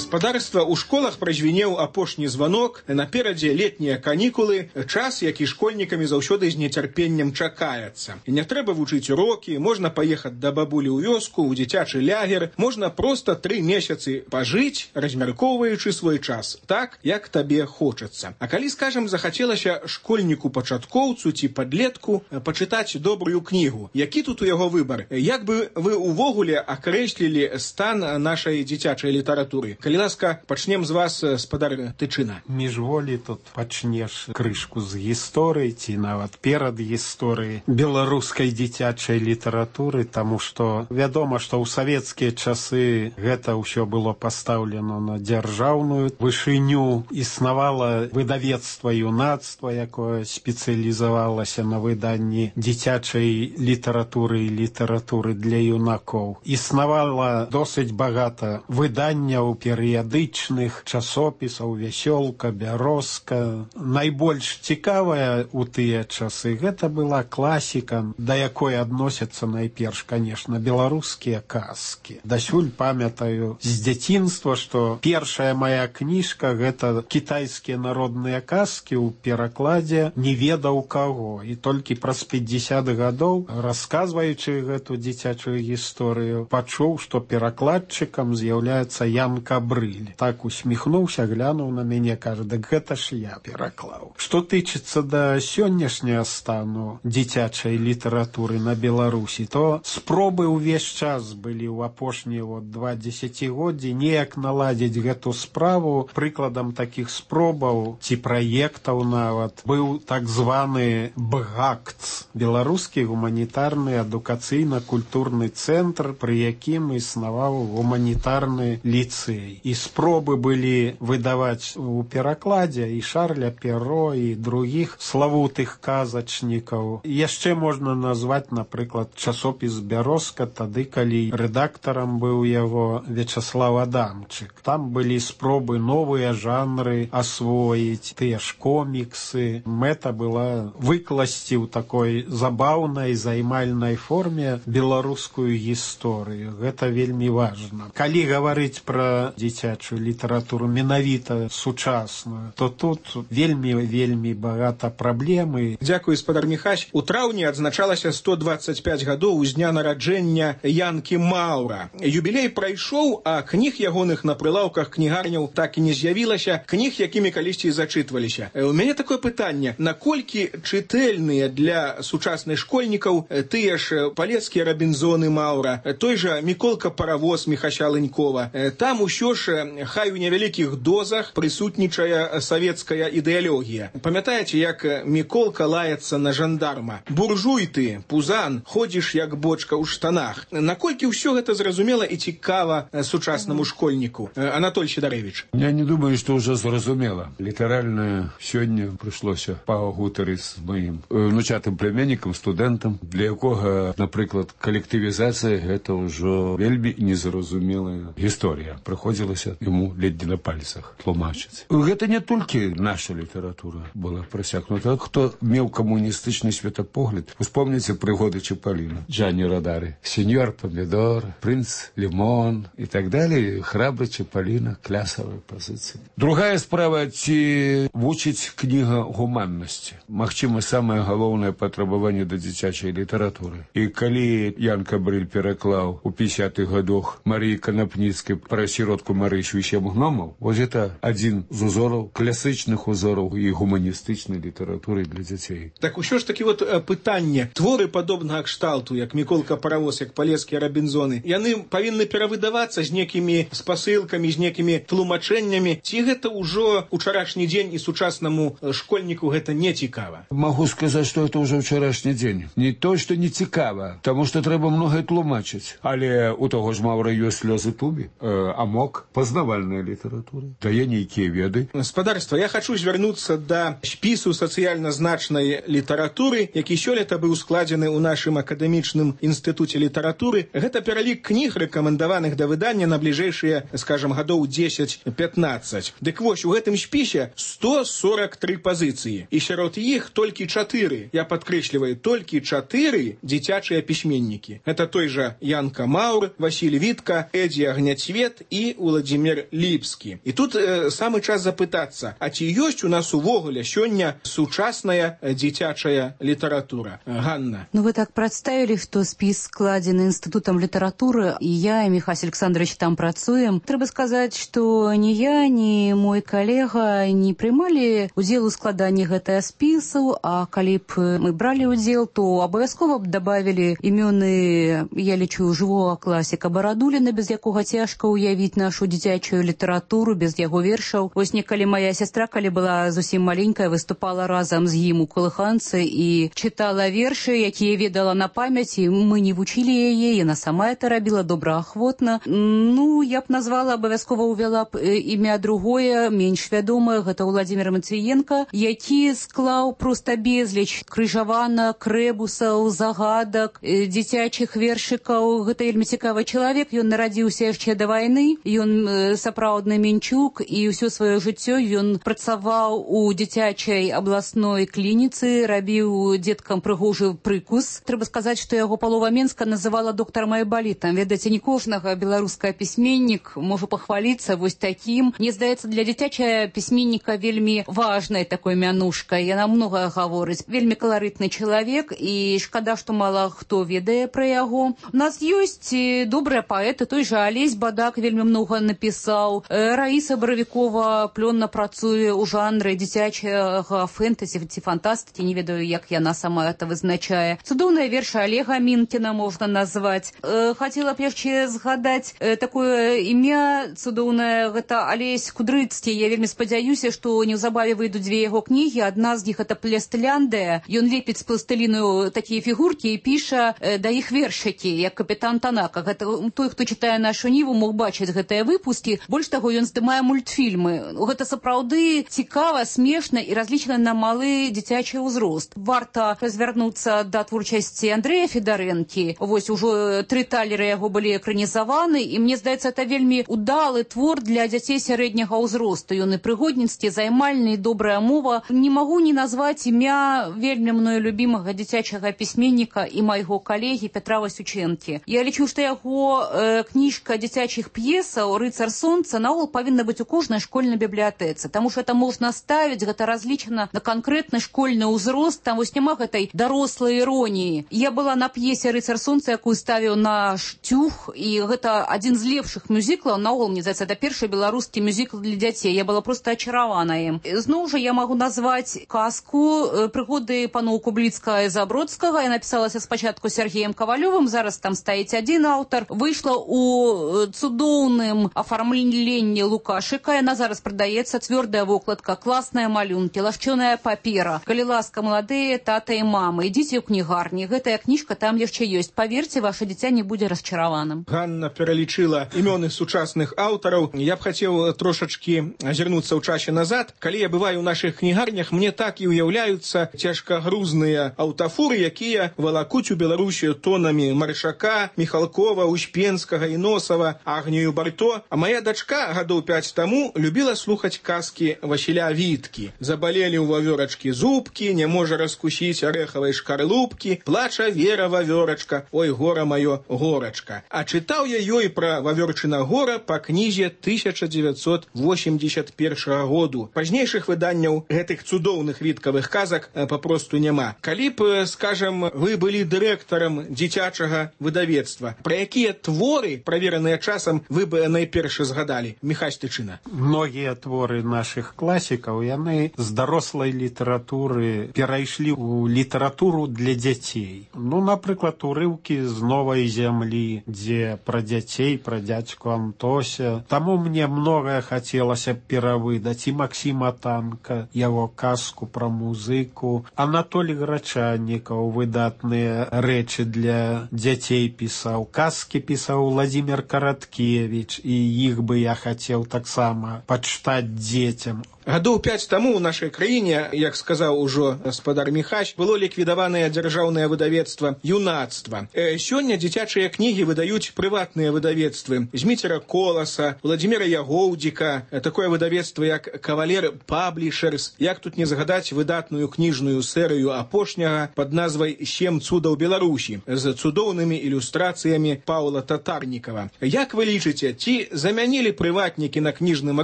S9: Гаспадарства ў школах празвінеў апошні званок, наперадзе летнія канікулы, час, які школьнікамі заўсёды з нецярпеннем чакаецца. І не трэба вучыць урокі, можна паехаць да бабулі ў вёску, у дзіцячы лягер, можна проста 3 месяцы пажыць, размяркоўваючы свой час, так, як табе хочацца. А калі, скажам, захацелася школьніку-пачаткоўцу ці падлетку пачытаць добрую кнігу, які тут у яго выбар? Як бы вы увогуле акрэслілі стан нашай дзіцячай літаратуры? Калі ласка, пачнем з вас, спадар Тычына.
S10: Міжволі тут пачнеш крышку з гісторыі ці нават перад гісторыяй беларускай дзіцячай літаратуры, таму што вядома, што ў савецкія часы гэта ўсё было пастаўлена на дзяржаўную вышыню. Існавала выдавецтва юнацтва, якое спецыялізавалася на выданні дзіцячай літаратуры і літаратуры для юнакоў. Існавала досыць багата выданняў перыядычных, часопісаў, вясёлка, бярозка. Найбольш цікавая ў тыя часы гэта была класіка, да якой адносяцца найперш, канешне, беларускія казкі. Дасюль памятаю з дзяцінства, што першая мая кніжка гэта кітайскія народныя казкі ў перакладзе не ведаў каго. І толькі праз 50 гадоў, расказваючы гэту дзіцячую гісторыю, пачуў, што перакладчыкам з'яўляецца Ян Кабрыль. Так усміхнуўся, глянуў на мяне, кажа, дык гэта ж я пераклаў. Што тычыцца да сённяшняга стану дзіцячай літаратуры на Беларусі, то спробы ўвесь час былі ў апошнія 2 дзесяцігоддзі неяк наладзіць гэту справу. Прыкладам такіх спробаў ці праектаў нават быў так званы БГАКЦ, беларускі гуманітарны адукацыйна-культурны цэнтр, пры якім існаваў гуманітарны ліцэй. І спробы былі выдаваць у перакладзе і Шарля Перро, і другіх славутых казачнікаў. Яшчэ можна назваць, напрыклад, часопіс «Бярозка», тады, калі рэдактарам быў яго Вячаслав Адамчык. Там былі спробы новыя жанры асвоіць, тыя ж коміксы. Мэта была выкласці ў такой забаўнай, займальнай форме беларускую гісторыю. Гэта вельмі важна. Калі гаварыць пра дзіцячую літаратуру менавіта сучасную, то тут вельмі багата праблемы.
S9: Дзякуй, спадар Міхась. У траўні адзначалася 125 гадоў з дня нараджэння Янкі Маўра. Юбілей прайшоў, а кніг ягоных на прылаўках кнігарняў так і не з'явілася, кніг, якімі калісьці зачытваліся. У мяне такое пытанне: наколькі чытэльныя для сучасных школьнікаў тыя ж палецкія Рабінзоны Маўра, той жа Міколка Паравоз Міхася Лынькова? Там усё ж, хай у невялікіх дозах, прысутнічае савецкая ідэалогія. Памятаеце, як Міколка лаецца на жандарма? Буржуй ты, пузан, ходзіш як бочка ў штанах. Наколькі ўсё гэта зразумела і цікава сучаснаму школьніку? Анатоль Сідарэвіч.
S11: Я не думаю, што ўжо зразумела. Літаральна сёння прыйшлося пагутарыць з маім внучатым племяннікам, студэнтам, для якога, напрыклад, калектывізацыя гэта ўжо вельмі незразумелая гісторыя. Прыходзілася яму ледзь на пальцах тлумачыць. Гэта не толькі наша літаратура была прасякнута. Хто меў камуністычны светапогляд, успомніце прыгоды Чапаліна, Джанні Родары, сеньор Помідор, принц Лімон і так далее. Храбры Чапаліна, клясавыя пазіцыі. Другая справа, ці вучыць кніга гуманнасці. Магчыма, самае галоўнае патрабаванне да дзіцячай літаратуры. І калі Ян Кабрыль пераклаў у 50-х гадах Марыі Канапніцкай пра сіротку Марышу і 7 гномаў, вось гэта адзін з узораў, класычных узораў і гуманістычнай літаратуры для дзяцей.
S9: Так усё ж такі вот пытанне. Творы падобнага кшталту, як Міколка Паравоз, як палецкія Рабінзоны, яны павінны перавыдавацца з некімі спасылкамі, з некімі тлумачэннямі, ці гэта ўжо учарашні дзень і сучаснаму школьніку гэта не цікава?
S11: Магу сказаць, што гэта ўжо ўчарашні дзень. Не то, што не цікава, таму што трэба многае тлумачыць. Але у таго ж Маўра ёсць слёзы тубі, амок, пазнавальная літаратура, дае нейкія веды.
S9: Спадарства, я хачу звярнуцца да спісу сацыяльна значнай літаратуры, які сёлета быў складзены ў нашым акадэмічным інстытуце літаратуры. Гэта пералік кніг, рэкамендаваных да выдання на бліжэйшыя, скажам, гадоў 10-15. Дык вось, у гэтым спісе 143 пазіцыі. І сярод іх толькі 4, я падкрэсліваю, толькі 4 дзіцячыя пісьменнікі. Гэта той жа Янка Маўр, Васіль Вітка, Эдзі Агняцвет і Уладзімір Владимир Ліпскі. І тут самы час запытацца, а ці ёсць у нас увогуле сёння сучасная дзіцячая літаратура? Ганна.
S12: Ну, вы так представили, что спіс складзены Інстытутам літаратуры, і я, і Михась Александрович там працуем. Трэба сказаць, што ні я, ні мой калега не прымалі удзел у складанні гэтага спісу, а калі б мы бралі удзел, то абавязкова б добавили імёны, я лічу, жывога класіка Барадуліна, без якога цяжка уявіць нашу дзіцячую літаратуру, без яго вершаў. Вось некалі моя сестра, калі была зусім маленькая, выступала разам з ім у калыханцы і чытала вершы, якія ведала на памяць, і мы не вучылі яе, яна сама это рабіла добраахвотна. Ну, я б назвала, абавязкова увяла б імя другое, менш вядомае, гэта Владимир Матвіенко, які склаў проста безліч крыжаванак, рэбусаў, загадак, дзіцячых вершыкаў. Гэта вельмі цікавы чалавек, ён нарадзіўся яшчэ да вайны, ён сапраўдны мінчук, і ўсё сваё жыццё ён працаваў у дзіцячай абласной клініцы, рабіў дзеткам прыгожы прыкус. Трэба сказаць, што яго палова Менска называла доктарам айбалітам. Ведаеце, не кожнага беларускага пісьменнік можа пахваліцца вось такім. Мне здаецца, для дзіцячая пісьменніка вельмі важнай такой мянушкай. Яна многае гаворыць. Вельмі каларытны чалавек, і шкада, што мала хто ведае пра яго. У нас ёсць добрыя паэты, той жа Алесь Бадак вельмі многа напісаў. Раіса Баравікова плённа працуе ў жанры дзіцячага фэнтэзі ці фантастыкі, не ведаю, як яна сама это вызначае. Цудоўныя вершы Олега Мінкіна можна назваць. Хацела б яшчэ згадаць такое імя цудоўнае, гэта Алесь Кудрыцкі. Я вельмі спадзяюся, што неўзабаве выйдуць дзве яго кнігі. Адна з іх это Пластыляндыя. Ён лепіць з пластыліну такія фігуркі і піша да іх вершыкі, як капітан Танака. Гэта той, хто чытае нашу Ніву, мог бачыць гэтыя выпускі. Больш таго, ён здымае мультфільмы. Гэта сапраўды цікава, смешна і разлічана на малы дзіцячы ўзрост. Варта развярнуцца да творчасці Андрэя Федарэнкі. Вось ужо 3 талеры яго былі экранізаваны, і мне здаецца, это вельмі удалы твор для дзяцей сярэдняга ўзросту. Ён і прыгодніцкі, займальны, і добрая мова. Не магу не назваць імя вельмі мною любімага дзіцячага пісьменніка і майго калегі Петра Васючэнкі. Я лічу, што яго кніжка дзіцячых п'есаў «Рыцар сонца» наогул павінна быць у кожнай школьнай бібліятэцы, таму што это можна ставіць, гэта разлічана на канкрэтны школьны ўзрост, там вось няма гэтай дарослай іроніі. Я была на п'есе «Рыцар сонца», якую ставіў наш Тюх, і гэта адзін з лепшых мюзіклаў, наогул, мне здаецца, это першы беларускі мюзікл для дзяцей. Я была просто ачаравана ім. Зноў жа я магу назваць казку «Прыгоды паноў Кубліцкага і Забродскага». Я напісалася спачатку Сергеем Кавалёвым, зараз там стаіць адзін аўтар. Выйшла у цудоўным афармленні Лукашыка. Яна зараз прадаецца, цвёрдая вокладка, класныя малюнкі, лагчоная папера. Калі ласка, маладыя тата і мамы, ідзіце ў кнігарні. Гэтая кніжка там яшчэ ёсць. Паверце, ваше дзіця не будзе расчараваным.
S9: Ганна пералічыла імёны сучасных аўтараў. Я б хацеў трошачкі азірнуцца ў часе назад. Калі я бываю ў нашых кнігарнях, мне так і ўяўляюцца цяжкагрузныя аўтафуры, якія валакуць у Беларусію тонамі Маршака, Міхалкова, Успенскага і Носава, Агнію Барто. А моя дачка гадоў 5 таму любіла слухаць казкі Васіля Віткі. Забалелі ў вавёрачкі зубкі, не можа раскусіць арэхавай шкарлупкі, плача Вера вавёрачка, ой, гора маё, горачка. А чытаў я ёй пра вавёрчына гора па кнізе 1981 году. Пазнейшых выданняў гэтых цудоўных віткавых казак папросту няма. Калі б, скажам, вы былі дырэктарам дзіцячага выдавецтва, пра якія творы, правераныя часам, вы бы найперш згадалі? Міхась Тычына.
S10: Многія творы нашых класікаў, яны з дарослай літаратуры перайшлі ў літаратуру для дзяцей. Ну, напрыклад, урыўкі з «Новай зямлі», дзе пра дзяцей, пра дзядзьку Антося. Таму мне многае хацелася перавыдаць. І Максіма Танка, яго казку пра музыку. Анатолій Грачаннікаў выдатныя рэчы для дзяцей пісаў. Казкі пісаў Владимир Караткевич, і іх бы я хацеў таксама пачытаць дзецям.
S9: Гадоў 5 таму ў нашай краіне, як сказаў ужо гаспадар Міхась, было ліквідаванае дзяржаўнае выдавецтва «Юнацтва». Сёння дзіцячыя кнігі выдаюць прыватныя выдавецтвы Зміцера Коласа, Владзіміра Ягоўдзіка, такое выдавецтва як «Кавалер Паблішерс», як тут не згадаць выдатную кніжную серыю апошняга пад назвай «7 цудаў Беларусі» з цудоўнымі ілюстрацыямі Паўла Татарнікава. Як вы лічыце, ці замянілі прыватнікі на кніжным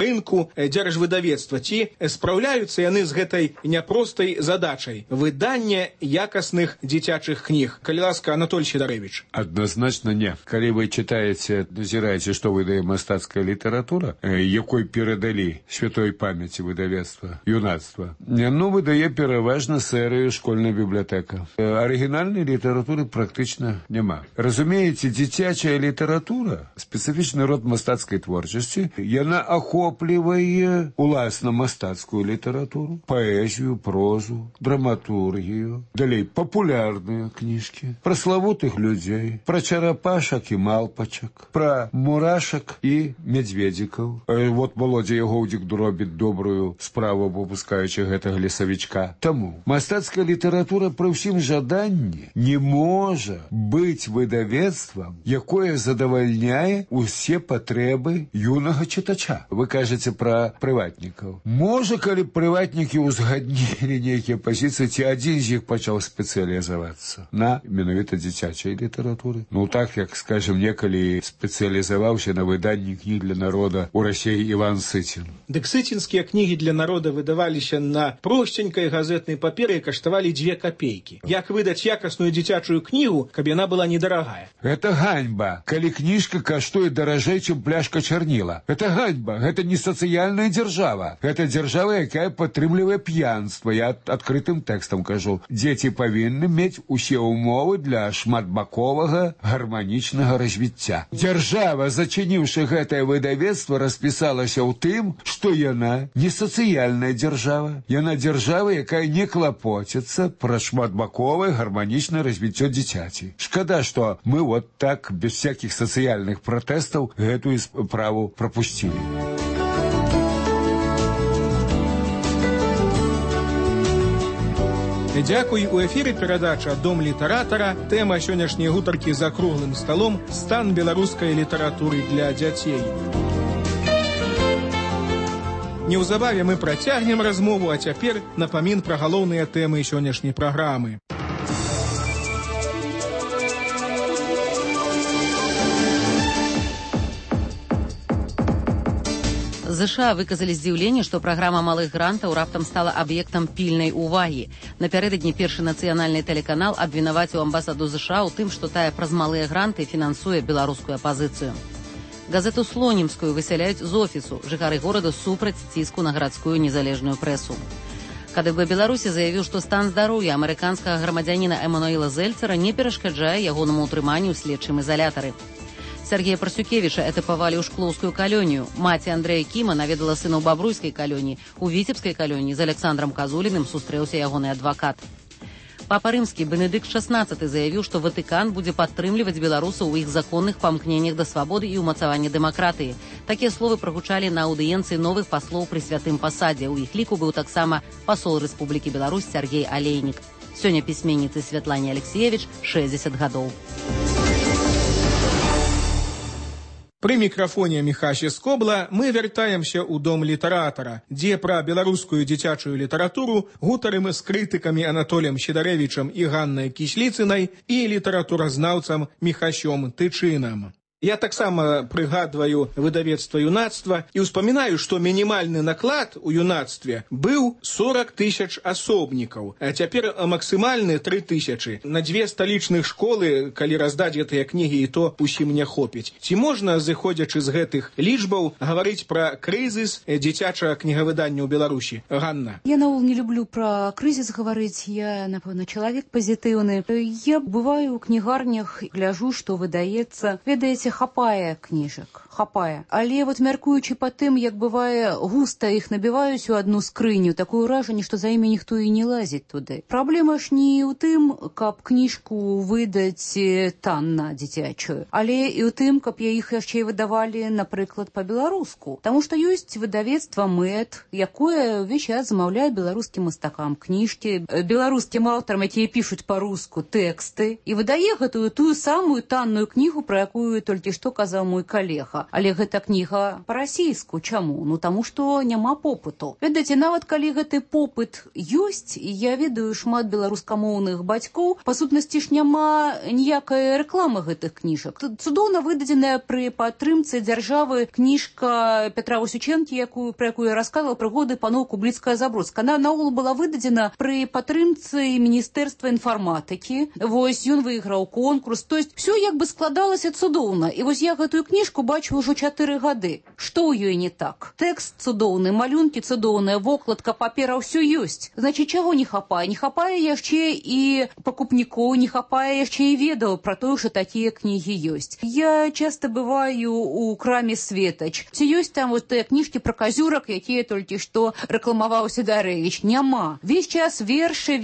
S9: рынку дзяржвыдавецтва, ці спраўляюцца яны з гэтай няпростай задачай выдання якасных дзіцячых кніг? Калі ласка, Анатоль Сідарэвіч.
S11: Адназначна не. Калі вы читаеце, назіраеце, што выдае мастацкая літаратура, якой перадалі святой памяці выдавецтва «Юнацтва», выдае пераважна серыю «Школьная бібліятэка». Арыгінальнай літаратуры практычна няма. Разумееце, дзіцячая літаратура, спецыфічны род мастацкай творчасці, яна ахоплівае уласна мастацкую літаратуру, паэзію, прозу, драматургію, далей папулярныя кніжкі, пра славутых людзей, пра чарапашак і малпачак, пра мурашак і мядзведзікаў. Вот Володя Ягоўдзік робіць добрую справу, выпускаючы гэтага лесавічка. Таму мастацкая літаратура пры ўсім жаданні не можа быць выдавецтвам, якое задавальняе усе патрэбы юнага чытача. Вы кажаце пра прыватнікаў. Можа, калі прыватнікі ўзгаднілі нейкія пазіцыі, ці адзін з іх пачаў спецыялізавацца на менавіта дзіцячай літаратуры. Так, як, скажем, некалі спецыялізаваўся на выданні кніг для народа ў Расіі Іван Сыцін.
S9: Дык сыцінскія кнігі для народа выдаваліся на простенькай газетнай паперы і каштавалі 2 копейкі. Як выдаць якасную дзіцячую кнігу, каб яна была недарагая?
S11: Гэта ганьба, калі кніжка каштуе даражэй, чым пляшка чарніла. Гэта ганьба, гэта не сацыяльная дзяржава. Гэта дзяржава, якая падтрымлівае п'янства. Я адкрытым тэкстам кажу. Дзеці павінны мець усе ўмовы для шматбаковага гарманічнага развіцця. Дзяржава, зачыніўшы гэтае выдавецтва, распісалася ў тым, што яна не сацыяльная дзяржава. Яна дзяржава, якая не клапоціцца пра шматбаковае гарманічнае развіццё дзіцяці. Шкада, што мы вот так, без всякіх сацыяльных пратэстаў, гэтую справу прапусцілі.
S9: Дзякуй. У эфіры перадача «Дом літаратара». Тэма сённяшняй гутаркі за круглым сталом «Стан беларускай літаратуры для дзяцей». Неўзабаве мы працягнем размову, а цяпер напамін пра галоўныя тэмы сённяшняй праграмы.
S1: ЗША выказалі здзіўленне, што праграма малых грантаў раптам стала аб'ектам пільнай увагі. Напярэдадні першы нацыянальны тэлеканал абвінаваціў амбасаду ЗША ў тым, што тая праз малыя гранты фінансуе беларускую апазіцыю. Газету «Слонімскую» высяляюць з офісу. Жыхары горада супраць ціску на гарадскую незалежную прэсу. КДБ Беларусі заявіў, што стан здароўя амерыканскага грамадзяніна Эмануэла Зельцера не перашкаджае ягонаму ўтрыманню ў следчым изалятары. Сергея Парсюкевіча этапавалі ў шклоўскую калонію. Маці Андрэя Кіма наведала сына ў Бабруйскай калоніі. У Віцебскай калоніі з Александром Казуліным сустрэўся ягоны адвакат. Папа Рымскі Бенедыкт XVI заявіў, што Ватыкан будзе падтрымліваць беларусаў у іх законных памкненнях да свабоды і ўмацавання дэмакратыі. Такія словы прагучалі на аўдыенцыі новых паслоў пры святым пасадзе. У іх ліку быў таксама пасол Рэспублікі Беларусь Сергей Алейнік. Сёння пісьменніцы Святлане Алексеевич 60 гадоў.
S9: Пры мікрафоне Міхася Скобла мы вяртаемся ў дом літаратара, дзе пра беларускую дзіцячую літаратуру гутарым з крытыкамі Анатолем Сідарэвічам і Ганнай Кісліцынай і літаратуразнаўцам Міхасём Тычынам. Я таксама прыгадваю выдавецтва «Юнацтва» і ўспамінаю, што мінімальны наклад у «Юнацтве» быў 40 000 асобнікаў, а цяпер максімальны 3000. На 2 сталічных школы, калі раздаць гэтыя кнігі, і то усім не хопіць. Ці можна, зыходзячы з гэтых лічбаў, гаварыць пра крызіс дзіцячага кнігавыдання ў Беларусі? Ганна.
S12: Я наогул не люблю пра крызіс гаварыць, я, напэўна, чалавек пазітыўны. Я бываю ў кнігарнях, гляжу, што выдаецца. Ведаеце, ведаеце, хапае кніжак, хапае. Але вот мяркуючы па тым, як бывае, густа іх набіваюць у одну скрыню, такое ўражанне, што за імі ніхто і не лазіць туды. Праблема ж не ў тым, каб кніжку выдаць танна дзіцячую, але і ў тым, каб іх яшчэ і выдавалі, напрыклад, па-беларуску. Таму што ёсць выдавецтва МЭД, якое ўвесь час замаўляе беларускім мастакам кніжкі, беларускім аўтарам, якія пішуць па-руску тэксты, і выдае гэтую тую самую танную кнігу, пра якую толькі што казаў мой калега. Але гэта кніга па-расійску. Чаму? Ну, таму што няма попыту. Ведаеце, нават калі гэты попыт ёсць, і я ведаю шмат беларускамоўных бацькоў, па сутнасці ж няма ніякай рэкламы гэтых кніжак. Цудоўна выдадзеная пры падтрымцы дзяржавы кніжка Петра Васючэнкі, пра якую я расказвала, прыгоды паноў Кубліцкая-Забродская. Она наогул была выдадзена пры падтрымцы Міністэрства інфарматыкі. Вось ён выйграў конкурс. То есть все як бы складалася цудоўна. І вось я гэтую кніжку бачу ўжо 4 гады. Што ў ёй не так? Тэкст цудоўны, малюнкі цудоўныя, вокладка, папера, ўсё ёсць. Значыць, чаго не хапае? Не хапае яшчэ і пакупнікоў, не хапае яшчэ і ведаў пра тое, што такія кнігі ёсць. Я часта бываю у краме Светач. Ці ёсць там вот тыя кніжкі пра казюрак, якія толькі што рэкламаваў Сідарэвіч? Няма. Весь час вершы.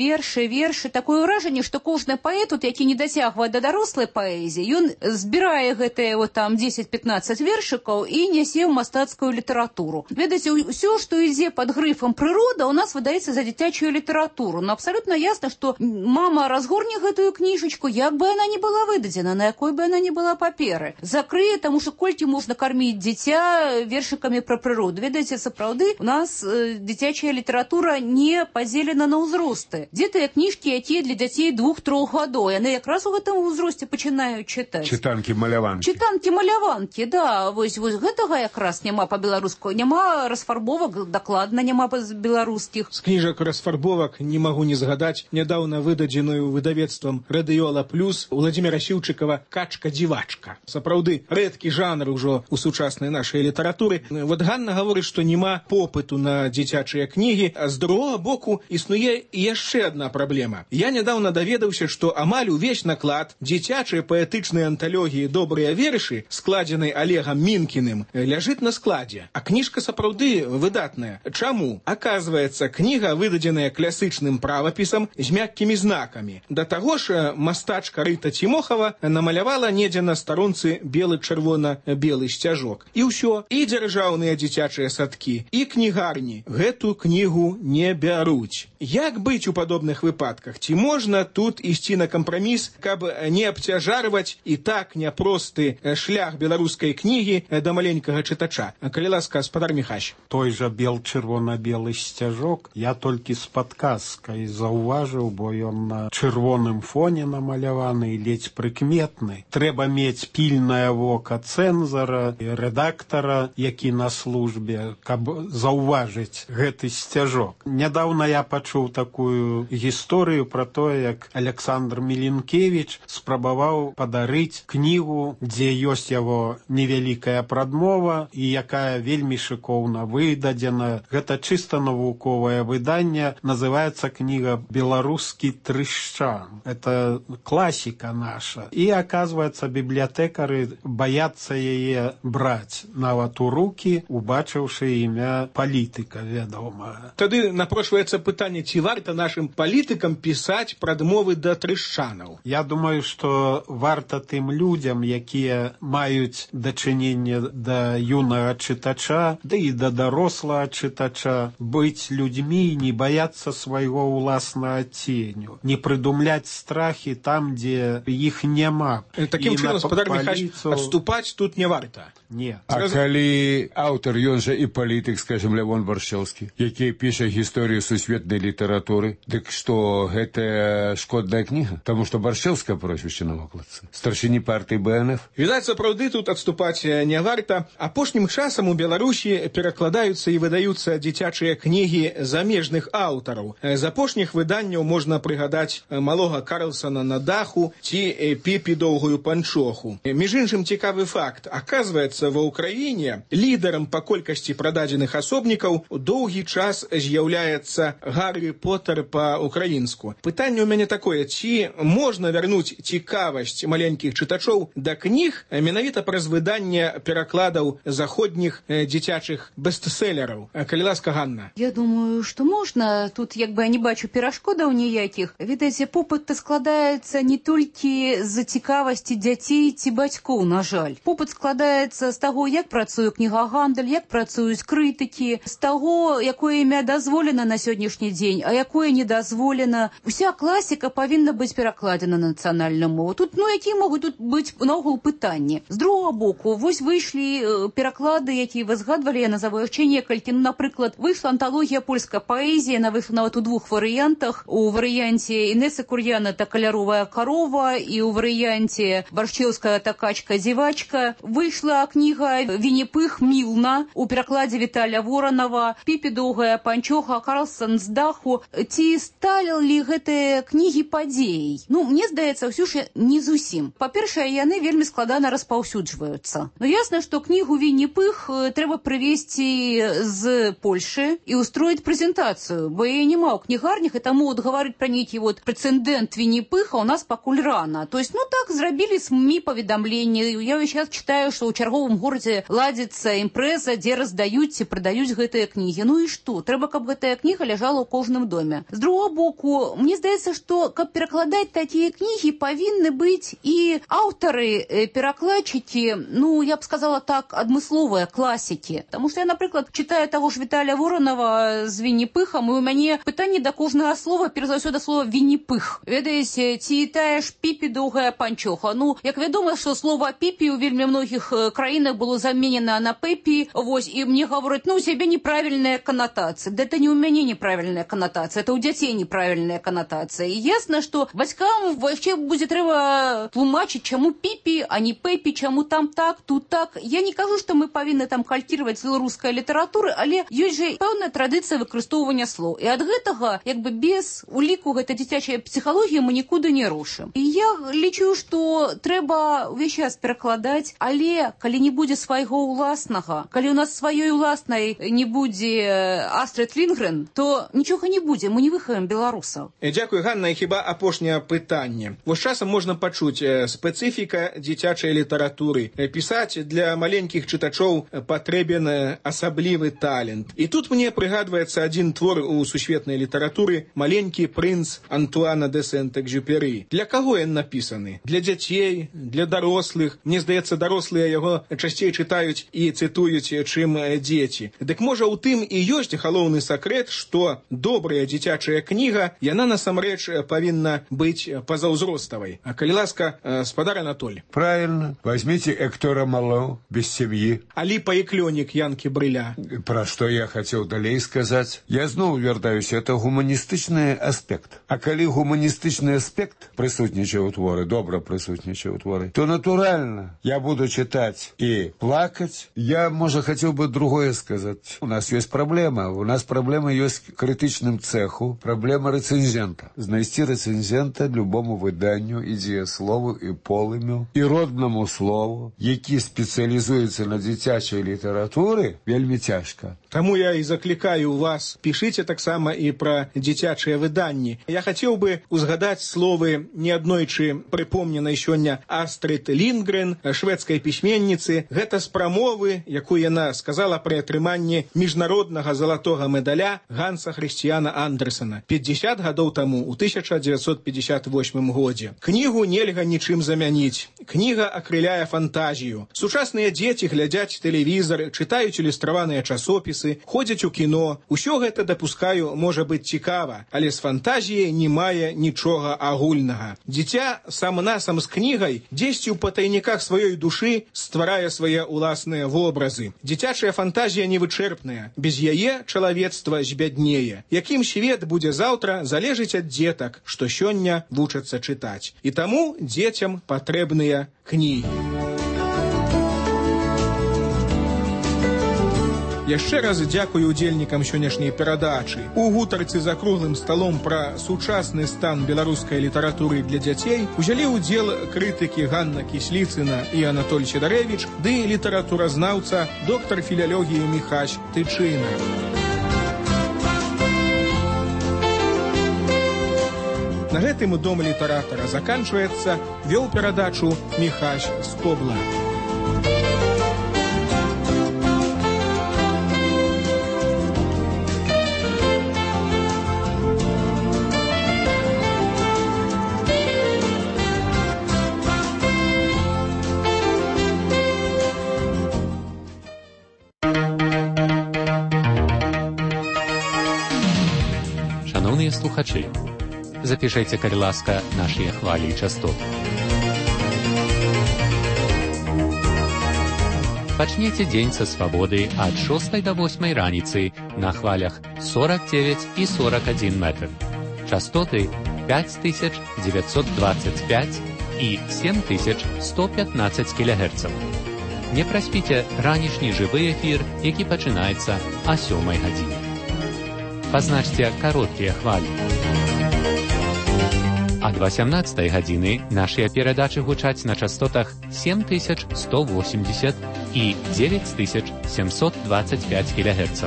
S12: Такое ўражанне, што кожны паэт, які не дацягвае да дарослай паэзіі, ён збірае гэтыя вот там 10-15 вершыкаў і нясе ў мастацкую літаратуру. Ведаеце, ўсё, што ідзе пад грыфам прырода, у нас выдаецца за дзіцячую літаратуру. Но абсалютна ясна, што мама разгорне гэтую кніжачку, як бы яна не была выдадзена, на якой бы яна не была паперы. Закрые, таму што колькі можна карміць дзіця вершыкамі пра прыроду. Ведаеце, сапраўды, у нас дзіцячая літаратура не падзелена на ўзросты. Дзе тыя кніжкі, якія для дзяцей 2-3 гадоў? Яны якраз у гэтым узросце пачынаюць чытаць. Чытанкі-маляванкі, да. Вось гэтага якраз няма па-беларуску. Няма расфарбовак, дакладна няма беларускіх.
S9: З кніжак расфарбовак не магу не згадаць нядаўна выдадзеную выдавецтвам Радыёла Плюс Владзіміра Сіўчыкава «Качка-дзівачка». Сапраўды, рэдкі жанр ужо у сучаснай нашай літаратуры. Вот Ганна гаворыць, што няма попыту на дзіцячыя кнігі, а з другога боку існуе яшчэ адна праблема. Я нядаўна даведаўся, што амаль увесь наклад дзіцячай паэтычнай анталогіі «Добрыя вершы», складзенай Олегам Мінкіным, ляжыць на складзе. А кніжка сапраўды выдатная. Чаму? Аказваецца, кніга выдадзеная класычным правапісам з мяккімі знакамі. Да таго ж мастачка Рыта Цімохава намалявала недзе на старонцы белы-чырвона-белы сцяжок. І ўсё, і дзяржаўныя дзіцячыя садкі, і кнігарні гэту кнігу не бяруць. Як быць у падобных выпадках? Ці можна тут ісці на кампраміс, каб не абцяжарваць і так няпросты шлях беларускай кнігі да маленькага чытача? Калі ласка, спадар Міхась.
S10: Той жа бел-чырвона-белы сцяжок я толькі з падказкай заўважыў, бо ён на чырвоным фоне намаляваны і ледзь прыкметны. Трэба мець пільнае вока цэнзара і рэдактара, які на службе, каб заўважыць гэты сцяжок. Нядаўна я пачуў такую гісторыю пра тое, як Александр Міленкевіч спрабаваў падарыць кнігу, дзе ёсць яго невялікая прадмова і якая вельмі шыкоўна выдадзена. Гэта чыста навуковае выданне, называецца кніга «Беларускі трышчан». Это класіка наша. І, аказваецца, бібліятэкары баяцца яе браць нават у рукі, убачыўшы імя палітыка, вядома.
S9: Тады напрошваецца пытанне, ці варта нашым палітыкам пісаць прадмовы да трышчанаў?
S10: Я думаю, што варта тым людзям, якія маюць дачыненне да юнага чытача, да і да дарослага чытача, быць людзьмі, не баяцца свайго ўласнага ценю, не прыдумляць страхі там, дзе іх няма.
S9: Такім чынам, спадар Міхась, адступаць тут не варта.
S10: Не.
S11: А калі аўтар, ён жа і палітык, скажем, Лявон Баршчэўскі, які піша гісторыю сусветнай літаратуры, дык што гэта шкодная кніга? Таму што Баршчэўская прозвішча на вокладцы. Старшыні партыі БНФ.
S9: Відаць, сапраўды тут адступаць не варта. Апошнім часам у Беларусі перакладаюцца і выдаюцца дзіцячыя кнігі замежных аўтараў. З апошніх выданняў можна прыгадаць малога Карлсона на даху ці Піпі доўгую панчоху. Між іншым, цікавы факт. Аказваецца, ва ўкраіне лідарам па колькасці прададзеных асобнікаў доўгі час з'яўляецца Гаррі Поттер па-украінску. Пытанне ў мяне такое, ці можна вярнуць цікавасць маленькіх чытачоў да кніг кніг менавіта праз выданне перакладаў заходніх дзіцячых бестселераў. Калі ласка, Ганна.
S12: Я думаю, што можна. Тут як бы я не бачу перашкодаў ніякіх. Відаеце, попыт складаецца не толькі з-за цікавасці дзяцей ці бацькоў, на жаль. Попыт складаецца з таго, як працуе кнігагандаль, як працуюць крытыкі, з таго, якое імя дазволена на сённяшні дзень, а якое не дазволена. Уся класіка павінна быць перакладзена на нацыянальную мову. Тут, якія могуць тут быць наогул пытанні. З другого боку, вось выйшлі пераклады, якія вы згадвалі, я назову яшчэ некалькі. Напрыклад, выйшла анталогія польскай паэзіі, яна выйшла нават у двух варыянтах. У варыянце Інесы Кур'яна «Та каляровая корова» і ў варыянце Баршчеўская «Та качка-дзівачка». Выйшла кніга «Вінні-Пых Мілна» у перакладзе Віталя Воранова, «Піпі доўгая панчоха», «Карлсон з даху». Ці сталі гэтыя кнігі падзеяй? Мне здаецца, ўсё ж не зусім. Па-першае, яны вельмі складана распаўсюджваюцца. Ясна, што кнігу «Вінні-Пых» трэба прывезці з Польшы і устроіць прэзентацыю, бо яе няма ў кнігарнях, і таму гаварыць пра нейкі прэцэдэнт Вінні-Пыха у нас пакуль рана. То есть, так зрабілі СМІ паведамленні. Я сейчас читаю, што ў чарговым горадзе ладзіцца імпрэза, дзе раздаюць ці прадаюць гэтыя кнігі. І што? Трэба, каб гэтая кніга ляжала ў кожным доме. З другого боку, мне здаецца, што каб перакладаць такія кнігі, павінны быць і аўтары, перакладчыкі, я б сказала так, адмысловыя класікі. Таму што я, напрыклад, читаю таго ж Віталя Воранова з Вінні-Пыхам, і у мяне пытанне да кожнага слова, перш за ўсё да слова Вінні-Пых. Ведаеце, ці тая ж «Піпі доўгая панчоха». Як вядома, што слова «піпі» у вельмі многіх краінах было заменена на «пепі», і мне гавораць, у цябе неправільная канатацыя. Да это не у мяне неправільная канатацыя, это у дзяцей неправільная канатацыя. І ясна, што бацькам яшчэ будзе трэба тлумачыць, чаму «піпі», а не «пепі», чаму там так, тут так. Я не кажу, што мы павінны там калькіраваць з беларускай літаратуры, але ёсць жа пэўная традыцыя выкарыстоўвання слоў. І ад гэтага, без уліку гэтай дзіцячай псіхалогіі мы нікуды не рушым. І я лічу, што трэба ўвесь час перакладаць, але калі не будзе свайго ўласнага, калі у нас сваёй уласнай не будзе Астрид Лінгрен, то нічога не будзе, мы не выхаваем беларусаў.
S9: Дзякуй, Ганна, і хіба апошняе пытанне. Вось часам можна пачуць спецыфіка дзіцячай літаратуры. Пісаць для маленькіх чытачоў патрэбен асаблівы талент. І тут мне прыгадваецца адзін твор у сусветнай літаратуры «Маленькі прынц» Антуана де Сент-Экзюпері. Для каго ён напісаны? Для дзяцей, для дарослых. Мне здаецца, дарослыя яго часцей чытаюць і цытуюць, чым дзеці. Дык можа у тым і ёсць галоўны сакрэт, што добрая дзіцячая кніга, яна насамрэч павінна быць пазаўзроставай. А калі ласка, спадар Анатоль.
S11: Правильно. Возьмите Эктора Мало «Без семьи».
S9: Аліпа і клёнік Янкі Брыля.
S11: Про что я хотел далей сказать. Я зноў вяртаюся, это гуманістычны аспект. А калі гуманістычны аспект прысутнічае ў творы, добра прысутнічае ў творы, то натуральна я буду читать и плакать. Я, может, хотел бы другое сказать. У нас есть проблема. У нас проблема есть к критичным цеху. Проблема рецензента. Знайсці рецензента любому выданню, і дзеяслову, і полымю, і родному слову, які спецыялізуецца на дзіцячай літаратуры, вельмі цяжка.
S9: Таму я і заклікаю вас, пішыце таксама і пра дзіцячыя выданні. Я хацеў бы узгадаць словы неаднойчы прыпомненай сёння Астрид Лінгрен, шведскай пісьменніцы. Гэта з прамовы, якую яна сказала пры атрыманні міжнароднага залатога медаля Ганса Хрысціяна Андерсена 50 гадоў таму, у 1958 годзе. Кнігу нельга нічым замяніць. Кніга акрыляе фантазію. Сучасныя дзеці глядзяць тэлевізар, чытаюць ілюстраваныя часопісы, ходзяць у кіно. Усё гэта, дапускаю, можа быць цікава, але з фантазіяй не мае нічога агульнага. Дзіця сам-насам з кнігай дзесьці ў патайніках сваёй душы стварае свае ўласныя вобразы. Дзіцячая фантазія невычэрпная. Без яе чалавецтва збяднее. Якім свет будзе заўтра, залежыць ад дзетак, што сёння вучацца чытаць. І таму дзецям патрэбныя кнігі. Яшчэ раз дзякую удзельнікам сённяшняй перадачы. У гутарцы за круглым сталом пра сучасны стан беларускай літаратуры для дзяцей узялі ўдзел крытыкі Ганна Кісліцына і Анатоль Сідарэвіч ды літаратуразнаўца доктар філялогіі Міхась Тычына. На гэтым дом літаратара заканчваецца, вёл перадачу Міхась Скобла.
S13: Шановні слухачі, запишите, калі ласка, наші хвалі і частоты. Пачнеце дзень са свабоды ад 6 до 8 раніцы на хвалях 49 і 41 метр. Частоты 5925 і 7115 кГц. Не праспіце ранішні жывы эфір, які пачынаецца о 7 гадзіне. Пазначце кароткія хвалі. Ад 18 гадзіны нашыя перадачы гучаць на частотах 7180 і 9725 кГц.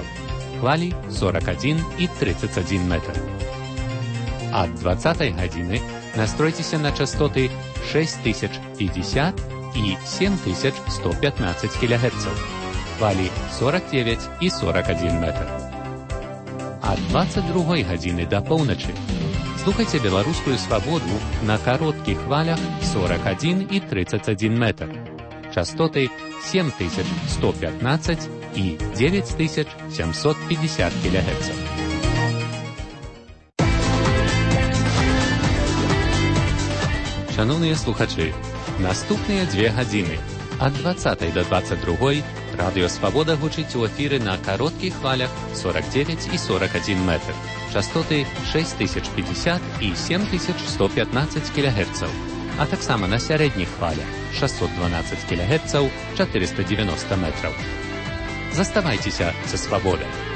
S13: Хвалі 41 і 31 метр. Ад 20 гадзіны настройцеся на частоты 6050 і 7115 кГц. Хвалі 49 і 41 метр. Ад 22 гадзіны да поўначы слухайце беларускую свабоду на кароткіх хвалях 41 і 31 метр. Частоты 7115 і 9750 кГц. Шановныя слухачы, наступныя 2 гадзіны ад 20 до 22 Радыё Свабода гучыць у эфіры на кароткіх хвалях 49 і 41 метр. Частоты 6050 і 7115 кГц, а таксама на сярэдніх хвалях 612 кГц 490 метраў. Заставайцеся са свабодай.